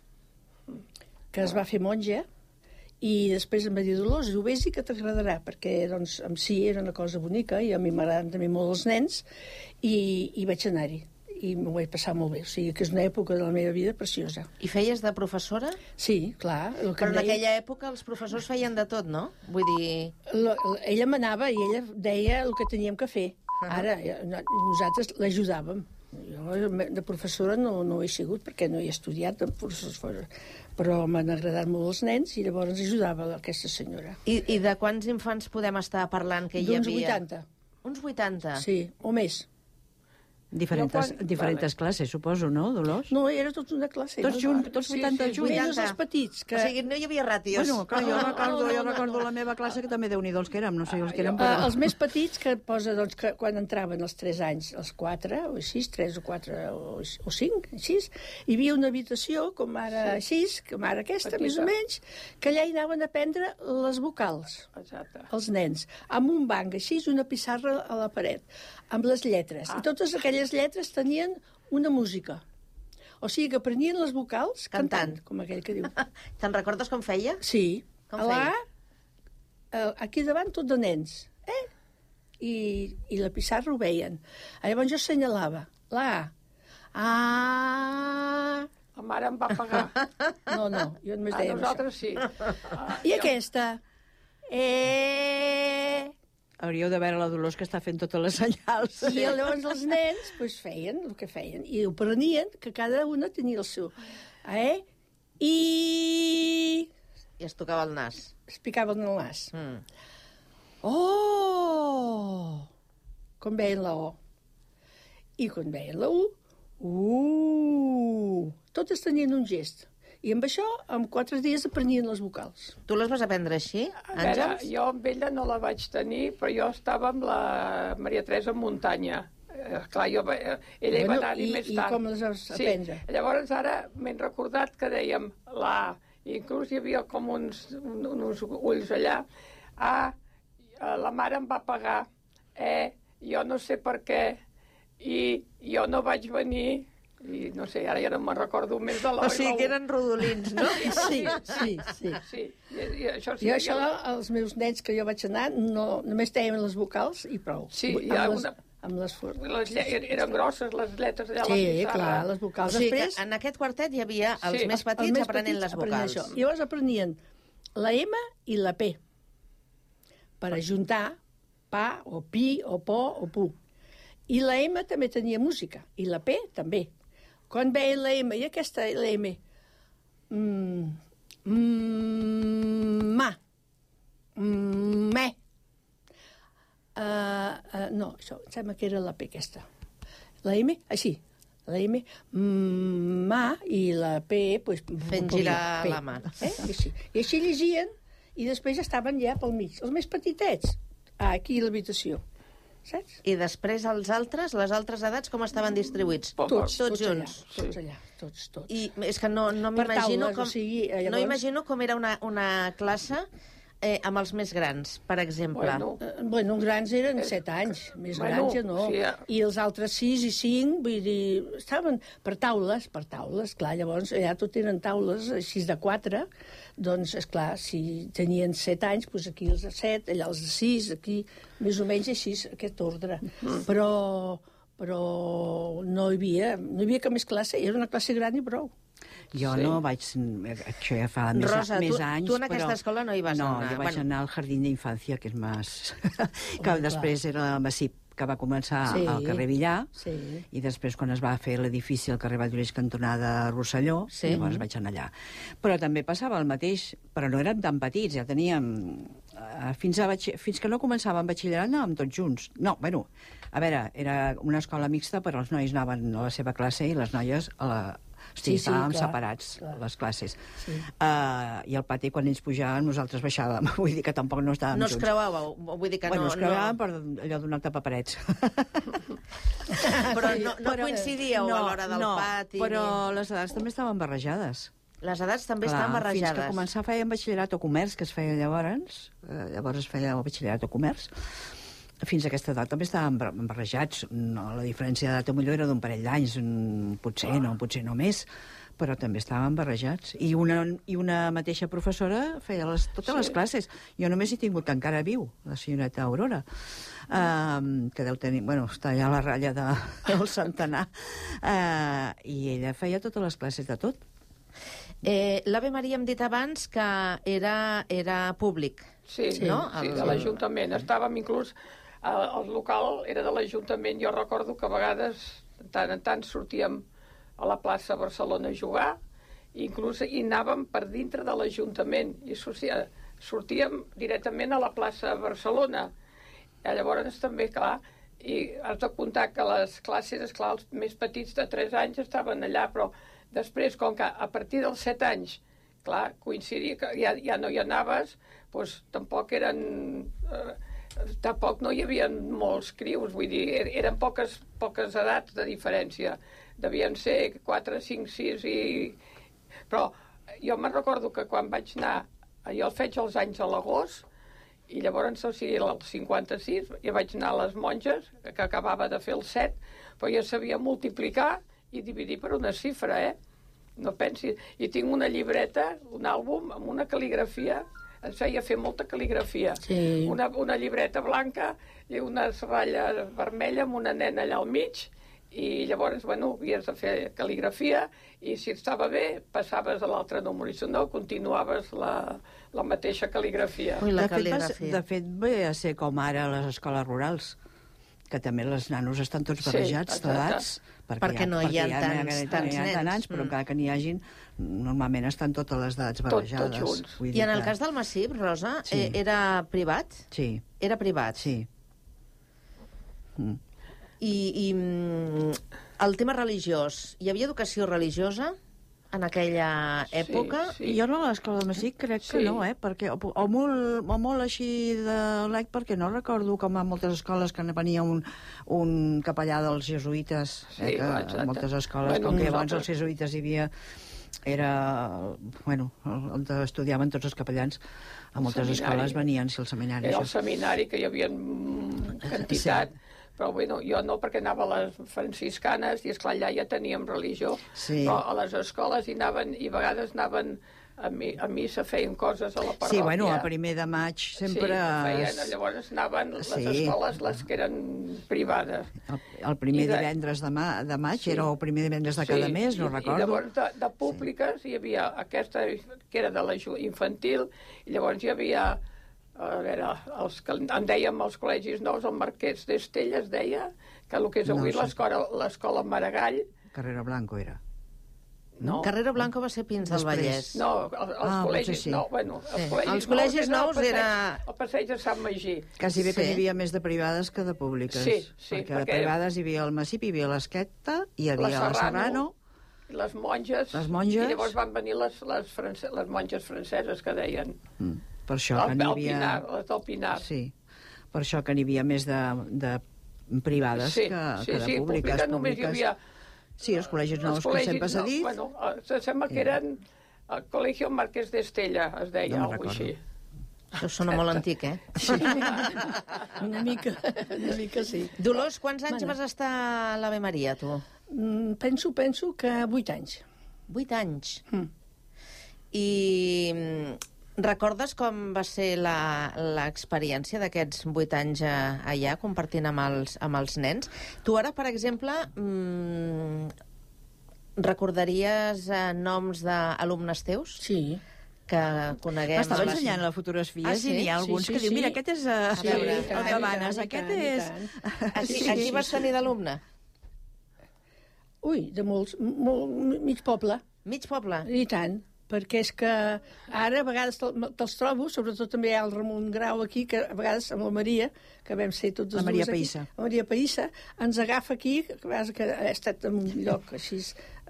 [SPEAKER 13] que es va fer monja, i després em va dir, Dolors, ho vés i que t'agradarà, perquè, doncs, en si era una cosa bonica, i a mi m'agraden també molt els nens, i, i vaig anar-hi. i m'ho vaig passar molt bé. O sigui, que és una època de la meva vida preciosa.
[SPEAKER 7] I feies de professora?
[SPEAKER 13] Sí, clar. El que
[SPEAKER 7] Però en
[SPEAKER 13] deia...
[SPEAKER 7] aquella època els professors feien de tot, no? Vull dir...
[SPEAKER 13] La, la, ella manava i ella deia el que teníem que fer. Uh -huh. Ara, no, nosaltres l'ajudàvem. Jo de professora no, no he sigut, perquè no he estudiat de professora, però m'han agradat molt els nens i llavors ajudava aquesta senyora.
[SPEAKER 7] I, i de quants infants podem estar parlant que hi havia?
[SPEAKER 13] D'uns vuitanta.
[SPEAKER 7] Uns vuitanta?
[SPEAKER 13] Sí, o més.
[SPEAKER 14] Diferents, quan... diferents vale. classes, suposo, no, Dolors?
[SPEAKER 13] No, era tota una classe.
[SPEAKER 14] Tots junts, tots vuitanta
[SPEAKER 7] sí, sí,
[SPEAKER 14] junts.
[SPEAKER 13] Menys els petits. Que...
[SPEAKER 7] O sigui, no hi havia ràtios.
[SPEAKER 14] Bueno, clar, jo recordo, jo recordo la meva classe, que també Déu-n'hi-do els que érem, no sé els que érem.
[SPEAKER 13] Però... Els més petits, que posa, doncs, que quan entraven els tres anys, els quatre, o així, tres o quatre, o, o cinc, així, hi havia una habitació, com ara així, com ara aquesta, petita, més o menys, que allà hi anaven a aprendre les vocals.
[SPEAKER 15] Exacte.
[SPEAKER 13] Els nens, amb un banc així, una pissarra a la paret, amb les lletres. Ah. I totes aquelles lletres tenien una música. O sigui que aprenien les vocals cantant, cantant com aquell que diu.
[SPEAKER 7] Te'n recordes com feia?
[SPEAKER 13] Sí.
[SPEAKER 7] Com
[SPEAKER 13] a
[SPEAKER 7] feia?
[SPEAKER 13] La, aquí davant tot de nens. Eh? I, I la pissarra ho veien. Llavors jo assenyalava. La A.
[SPEAKER 15] La mare em va pagar.
[SPEAKER 13] No, no, jo només
[SPEAKER 15] A
[SPEAKER 13] deia
[SPEAKER 15] nosaltres
[SPEAKER 13] això.
[SPEAKER 15] sí. Ah,
[SPEAKER 13] I
[SPEAKER 15] jo...
[SPEAKER 13] aquesta. E...
[SPEAKER 14] Hauríeu de veure la Dolors, que està fent totes les senyals.
[SPEAKER 13] I llavors els nens pues, feien el que feien. I ho prenien, que cada una tenia el seu. Eh? I...
[SPEAKER 7] I es tocava el nas.
[SPEAKER 13] Es picaven el nas.
[SPEAKER 7] Mm.
[SPEAKER 13] Oh! Com veien la O. I quan veien la U, uh! Totes tenien un gest. I amb això, en quatre dies aprenien les vocals.
[SPEAKER 7] Tu les vas aprendre així,
[SPEAKER 15] Àngels? A veure, jo amb ella no la vaig tenir, però jo estava amb la Maria Teresa Muntanya. Eh, clar, jo, eh, ella bueno, hi va anar-hi més
[SPEAKER 13] i
[SPEAKER 15] tard.
[SPEAKER 13] I com les vas aprendre?
[SPEAKER 15] Sí. Llavors ara m'he recordat que dèiem la A, inclús hi havia com uns, un, uns ulls allà. A, la mare em va pagar. E, jo no sé per què. I jo no vaig venir... I no sé, ara ja no me'n recordo més de l'O.
[SPEAKER 7] O sigui que eren rodolins, no?
[SPEAKER 13] Sí, sí, sí.
[SPEAKER 15] sí. I, i això sí
[SPEAKER 13] jo això, ja... els meus nens que jo vaig anar, no, només teien les vocals i prou.
[SPEAKER 15] Sí, hi
[SPEAKER 13] ha
[SPEAKER 15] una...
[SPEAKER 13] Amb les,
[SPEAKER 15] les lle... eren grosses les lletres allà a
[SPEAKER 13] sí,
[SPEAKER 15] la pissarra.
[SPEAKER 13] Sí, clar, les vocals.
[SPEAKER 7] O sigui
[SPEAKER 13] Després...
[SPEAKER 7] que en aquest quartet hi havia els sí. més petits els més aprenent petits les vocals.
[SPEAKER 13] Això. I llavors aprenien la M i la P per ajuntar pa o pi o po o pu. I la M també tenia música, i la P també. Quan veien la M, i aquesta la M, mm, mm, ma, mm, me, uh, uh, no, això, em sembla que era la P aquesta. La M, així, la M, mm, ma, i la P, pues,
[SPEAKER 7] fent girar
[SPEAKER 13] P,
[SPEAKER 7] la mà.
[SPEAKER 13] Eh? I, així. I així llegien, i després estaven ja pel mig. Els més petitets, aquí a l'habitació. Saps?
[SPEAKER 7] I després els altres, les altres edats, com estaven distribuïts?
[SPEAKER 13] Tots, tots, tots
[SPEAKER 7] junts.
[SPEAKER 13] Allà, tots allà, tots, tots.
[SPEAKER 7] I és que no, no m'imagino com,
[SPEAKER 13] o sigui, llavors...
[SPEAKER 7] no imagino com era una, una classe eh, amb els més grans, per exemple.
[SPEAKER 13] Bueno, uh, bueno grans eren set anys, més
[SPEAKER 15] bueno,
[SPEAKER 13] grans ja no.
[SPEAKER 15] Sí, ja.
[SPEAKER 13] I els altres sis i cinc, vull dir, estaven per taules, per taules, clar, llavors allà tot eren taules així de quatre, doncs, esclar, si tenien set anys, doncs aquí els de set, allà els de sis, aquí, més o menys així, aquest ordre. Mm. Però, però no hi havia, no hi havia cap més classe, era una classe gran i prou.
[SPEAKER 14] Jo sí. no vaig... Això ja fa més,
[SPEAKER 7] Rosa,
[SPEAKER 14] més
[SPEAKER 7] tu,
[SPEAKER 14] anys,
[SPEAKER 7] tu en aquesta
[SPEAKER 14] però...
[SPEAKER 7] escola no hi vas
[SPEAKER 14] no,
[SPEAKER 7] anar.
[SPEAKER 14] No, jo vaig
[SPEAKER 7] bueno.
[SPEAKER 14] anar al Jardín d'Infància, que és més... que oh, després clar. Era el Massip, que va començar sí, al carrer Villar,
[SPEAKER 13] sí.
[SPEAKER 14] i després, quan es va fer l'edifici al carrer Valldoreix, cantonada Rosselló, sí. llavors vaig anar allà. Però també passava el mateix, però no érem tan petits, ja teníem... Uh, fins, a batx... fins que no començàvem batxillerat anàvem tots junts. No, bueno, a veure, era una escola mixta, però els nois anaven a la seva classe i les noies a la... Sí, sí, estàvem clar, separats, clar. Les classes. Sí. Uh, I al pati, quan ells pujaven, nosaltres baixàvem. Vull dir que tampoc no estàvem
[SPEAKER 7] no
[SPEAKER 14] junts.
[SPEAKER 7] No es creuàveu? Vull dir que
[SPEAKER 14] bueno,
[SPEAKER 7] no...
[SPEAKER 14] es creuàvem
[SPEAKER 7] no...
[SPEAKER 14] per allò donar tapaparets.
[SPEAKER 7] Però no, no però, coincidíeu no, a l'hora del
[SPEAKER 14] no,
[SPEAKER 7] pati?
[SPEAKER 14] Però ni... les edats també estaven barrejades.
[SPEAKER 7] Les edats també
[SPEAKER 14] clar,
[SPEAKER 7] estaven barrejades.
[SPEAKER 14] Fins que començar fèiem batxillerat o comerç, que es feia llavors, eh, llavors es feia el batxillerat o comerç, fins a aquesta edat també estàvem barrejats. No, la diferència d'edat millor era d'un parell d'anys, potser no, potser no més, però també estaven barrejats. I una, i una mateixa professora feia les, totes sí. les classes. Jo només he tingut, que encara viu, la senyoreta Aurora, uh, que deu tenir... Bueno, està allà a la ratlla de, del centenar. Uh, I ella feia totes les classes de tot.
[SPEAKER 7] Eh, L'Ave Maria hem dit abans que era, era públic.
[SPEAKER 15] Sí,
[SPEAKER 7] no?
[SPEAKER 15] sí, de l'Ajuntament. Estàvem inclús... El, el local era de l'Ajuntament. Jo recordo que a vegades, tant en tant, sortíem a la plaça Barcelona a jugar, i inclús hi anàvem per dintre de l'Ajuntament, i sortia, sortíem directament a la plaça Barcelona. I llavors també, clar, i has de comptar que les classes, esclar, els més petits de tres anys estaven allà, però després, com que a partir dels set anys, clar, coincidia que ja, ja no hi anaves, doncs tampoc eren... Eh, tampoc no hi havia molts crius, vull dir, eren poques, poques edats de diferència. Devien ser quatre, cinc, sis i... Però jo me'n recordo que quan vaig anar, jo el faig els anys a l'agost, i llavors, o sigui, el cinquanta-sis, jo vaig anar a les monges, que acabava de fer el set, però jo sabia multiplicar i dividir per una xifra, eh? No pensis... I tinc una llibreta, un àlbum, amb una cal·ligrafia. Ens feia fer molta cal·ligrafia. Sí. Una, una llibreta blanca i una ratlla vermella amb una nena allà al mig, i llavors, bueno, havies de fer cal·ligrafia, i si estava bé, passaves a l'altre número, i si no, continuaves la, la mateixa cal·ligrafia.
[SPEAKER 14] Ui, la de, cal·ligrafia. Fet, de fet, ve a ser com ara a les escoles rurals, que també els nanos estan tots barrejats, sí, d'edats, perquè,
[SPEAKER 7] perquè no hi ha
[SPEAKER 14] ja,
[SPEAKER 7] tants,
[SPEAKER 14] ja,
[SPEAKER 7] tants
[SPEAKER 14] hi ha
[SPEAKER 7] nens.
[SPEAKER 14] nens, però mm. encara que n'hi hagin, normalment estan totes les edats barrejades.
[SPEAKER 7] Tot, tots junts. I en el que... cas del Massip, Rosa, sí. eh, era privat?
[SPEAKER 14] Sí.
[SPEAKER 7] Era privat?
[SPEAKER 14] Sí. Mm.
[SPEAKER 7] I, I el tema religiós, hi havia educació religiosa en aquella època?
[SPEAKER 14] Sí, sí. Jo no a l'escola del Massip crec sí. que no, eh? Perquè, o, o, molt, o molt així de lec, perquè no recordo com a moltes escoles que venia un, un capellà dels jesuïtes, eh?
[SPEAKER 15] Sí,
[SPEAKER 14] que a moltes escoles, bueno, com que llavors els jesuïtes hi havia... Era, bueno, on estudiaven tots els capellans, a moltes seminari. Escoles venien, si el seminari...
[SPEAKER 15] Era el seminari, que hi havia quantitat... Sí. Però bueno, jo no, perquè anava a les franciscanes i, esclar, allà ja teníem religió. Sí. Però a les escoles hi anaven, i a vegades anaven a, mi, a missa, feien coses a la parròquia.
[SPEAKER 14] Sí, bueno, el primer de maig sempre...
[SPEAKER 15] Sí, feien, llavors anaven les sí. escoles, les que eren privades.
[SPEAKER 14] El, el primer de... divendres de, ma, de maig sí. era el primer divendres de cada sí. mes, no I, recordo.
[SPEAKER 15] I llavors de, de públiques sí. hi havia aquesta que era de la infantil, i llavors hi havia... A veure, els que en dèiem els col·legis nous, el Marquès d'Estella es deia, que el que és avui no, l'escola Maragall...
[SPEAKER 14] Carrera Blanco era.
[SPEAKER 7] No. Carrera Blanco va ser Pins del Vallès.
[SPEAKER 15] No, els, els ah, col·legis sí. nous... Bueno, els
[SPEAKER 7] sí.
[SPEAKER 15] col·legis,
[SPEAKER 7] els col·legis nous, nous era...
[SPEAKER 15] El passeig de Sant Magí.
[SPEAKER 14] Quasi bé sí. que n'hi havia més de privades que de públiques.
[SPEAKER 15] Sí, sí.
[SPEAKER 14] Perquè, perquè de privades hi havia el Massip, hi havia l'Esqueta, hi havia la Serrano...
[SPEAKER 15] Les monges.
[SPEAKER 14] Les monges.
[SPEAKER 15] I llavors van venir les, les, france, les monges franceses, que deien...
[SPEAKER 14] Mm. Per això
[SPEAKER 15] el,
[SPEAKER 14] que n'hi havia...
[SPEAKER 15] Pinar, les del Pinar.
[SPEAKER 14] Sí, per això que n'hi havia més de, de privades
[SPEAKER 15] sí,
[SPEAKER 14] que,
[SPEAKER 15] sí,
[SPEAKER 14] que de
[SPEAKER 15] sí,
[SPEAKER 14] públiques.
[SPEAKER 15] Pública només hi havia...
[SPEAKER 14] Sí, els col·legis nous, els col·legis, que sempre s'ha dit.
[SPEAKER 15] No, bueno, sembla que eren el Colegio Marquès d'Estella, es deia, no alguna així.
[SPEAKER 7] Això sona molt antic, eh?
[SPEAKER 13] Sí. una, mica, una mica sí.
[SPEAKER 7] Dolors, quants anys bueno. vas estar a l'Ave Maria, tu?
[SPEAKER 13] Mm, penso, penso que vuit anys.
[SPEAKER 7] Vuit anys?
[SPEAKER 13] Mm.
[SPEAKER 7] I recordes com va ser l'experiència d'aquests vuit anys allà, compartint amb els, amb els nens? Tu ara, per exemple, mmm, recordaries eh, noms d'alumnes teus?
[SPEAKER 13] Sí.
[SPEAKER 7] Que coneguem...
[SPEAKER 14] M'estava ensenyant la fotografia, ah, sí? I n'hi ha alguns sí, sí, que diuen, mira, aquest és uh,
[SPEAKER 7] sí, veure,
[SPEAKER 14] sí, el que manes, aquest és...
[SPEAKER 7] A qui, a qui vas tenir d'alumne?
[SPEAKER 13] Ui, de molts, molt, mig poble.
[SPEAKER 7] Mig poble?
[SPEAKER 13] I tant. Perquè és que ara a vegades te'ls trobo, sobretot també hi ha el Ramon Grau aquí, que a vegades amb la Maria, que vam ser tots els
[SPEAKER 14] dues
[SPEAKER 13] aquí, la Maria Païssa, ens agafa aquí, que a vegades que ha estat en un lloc així,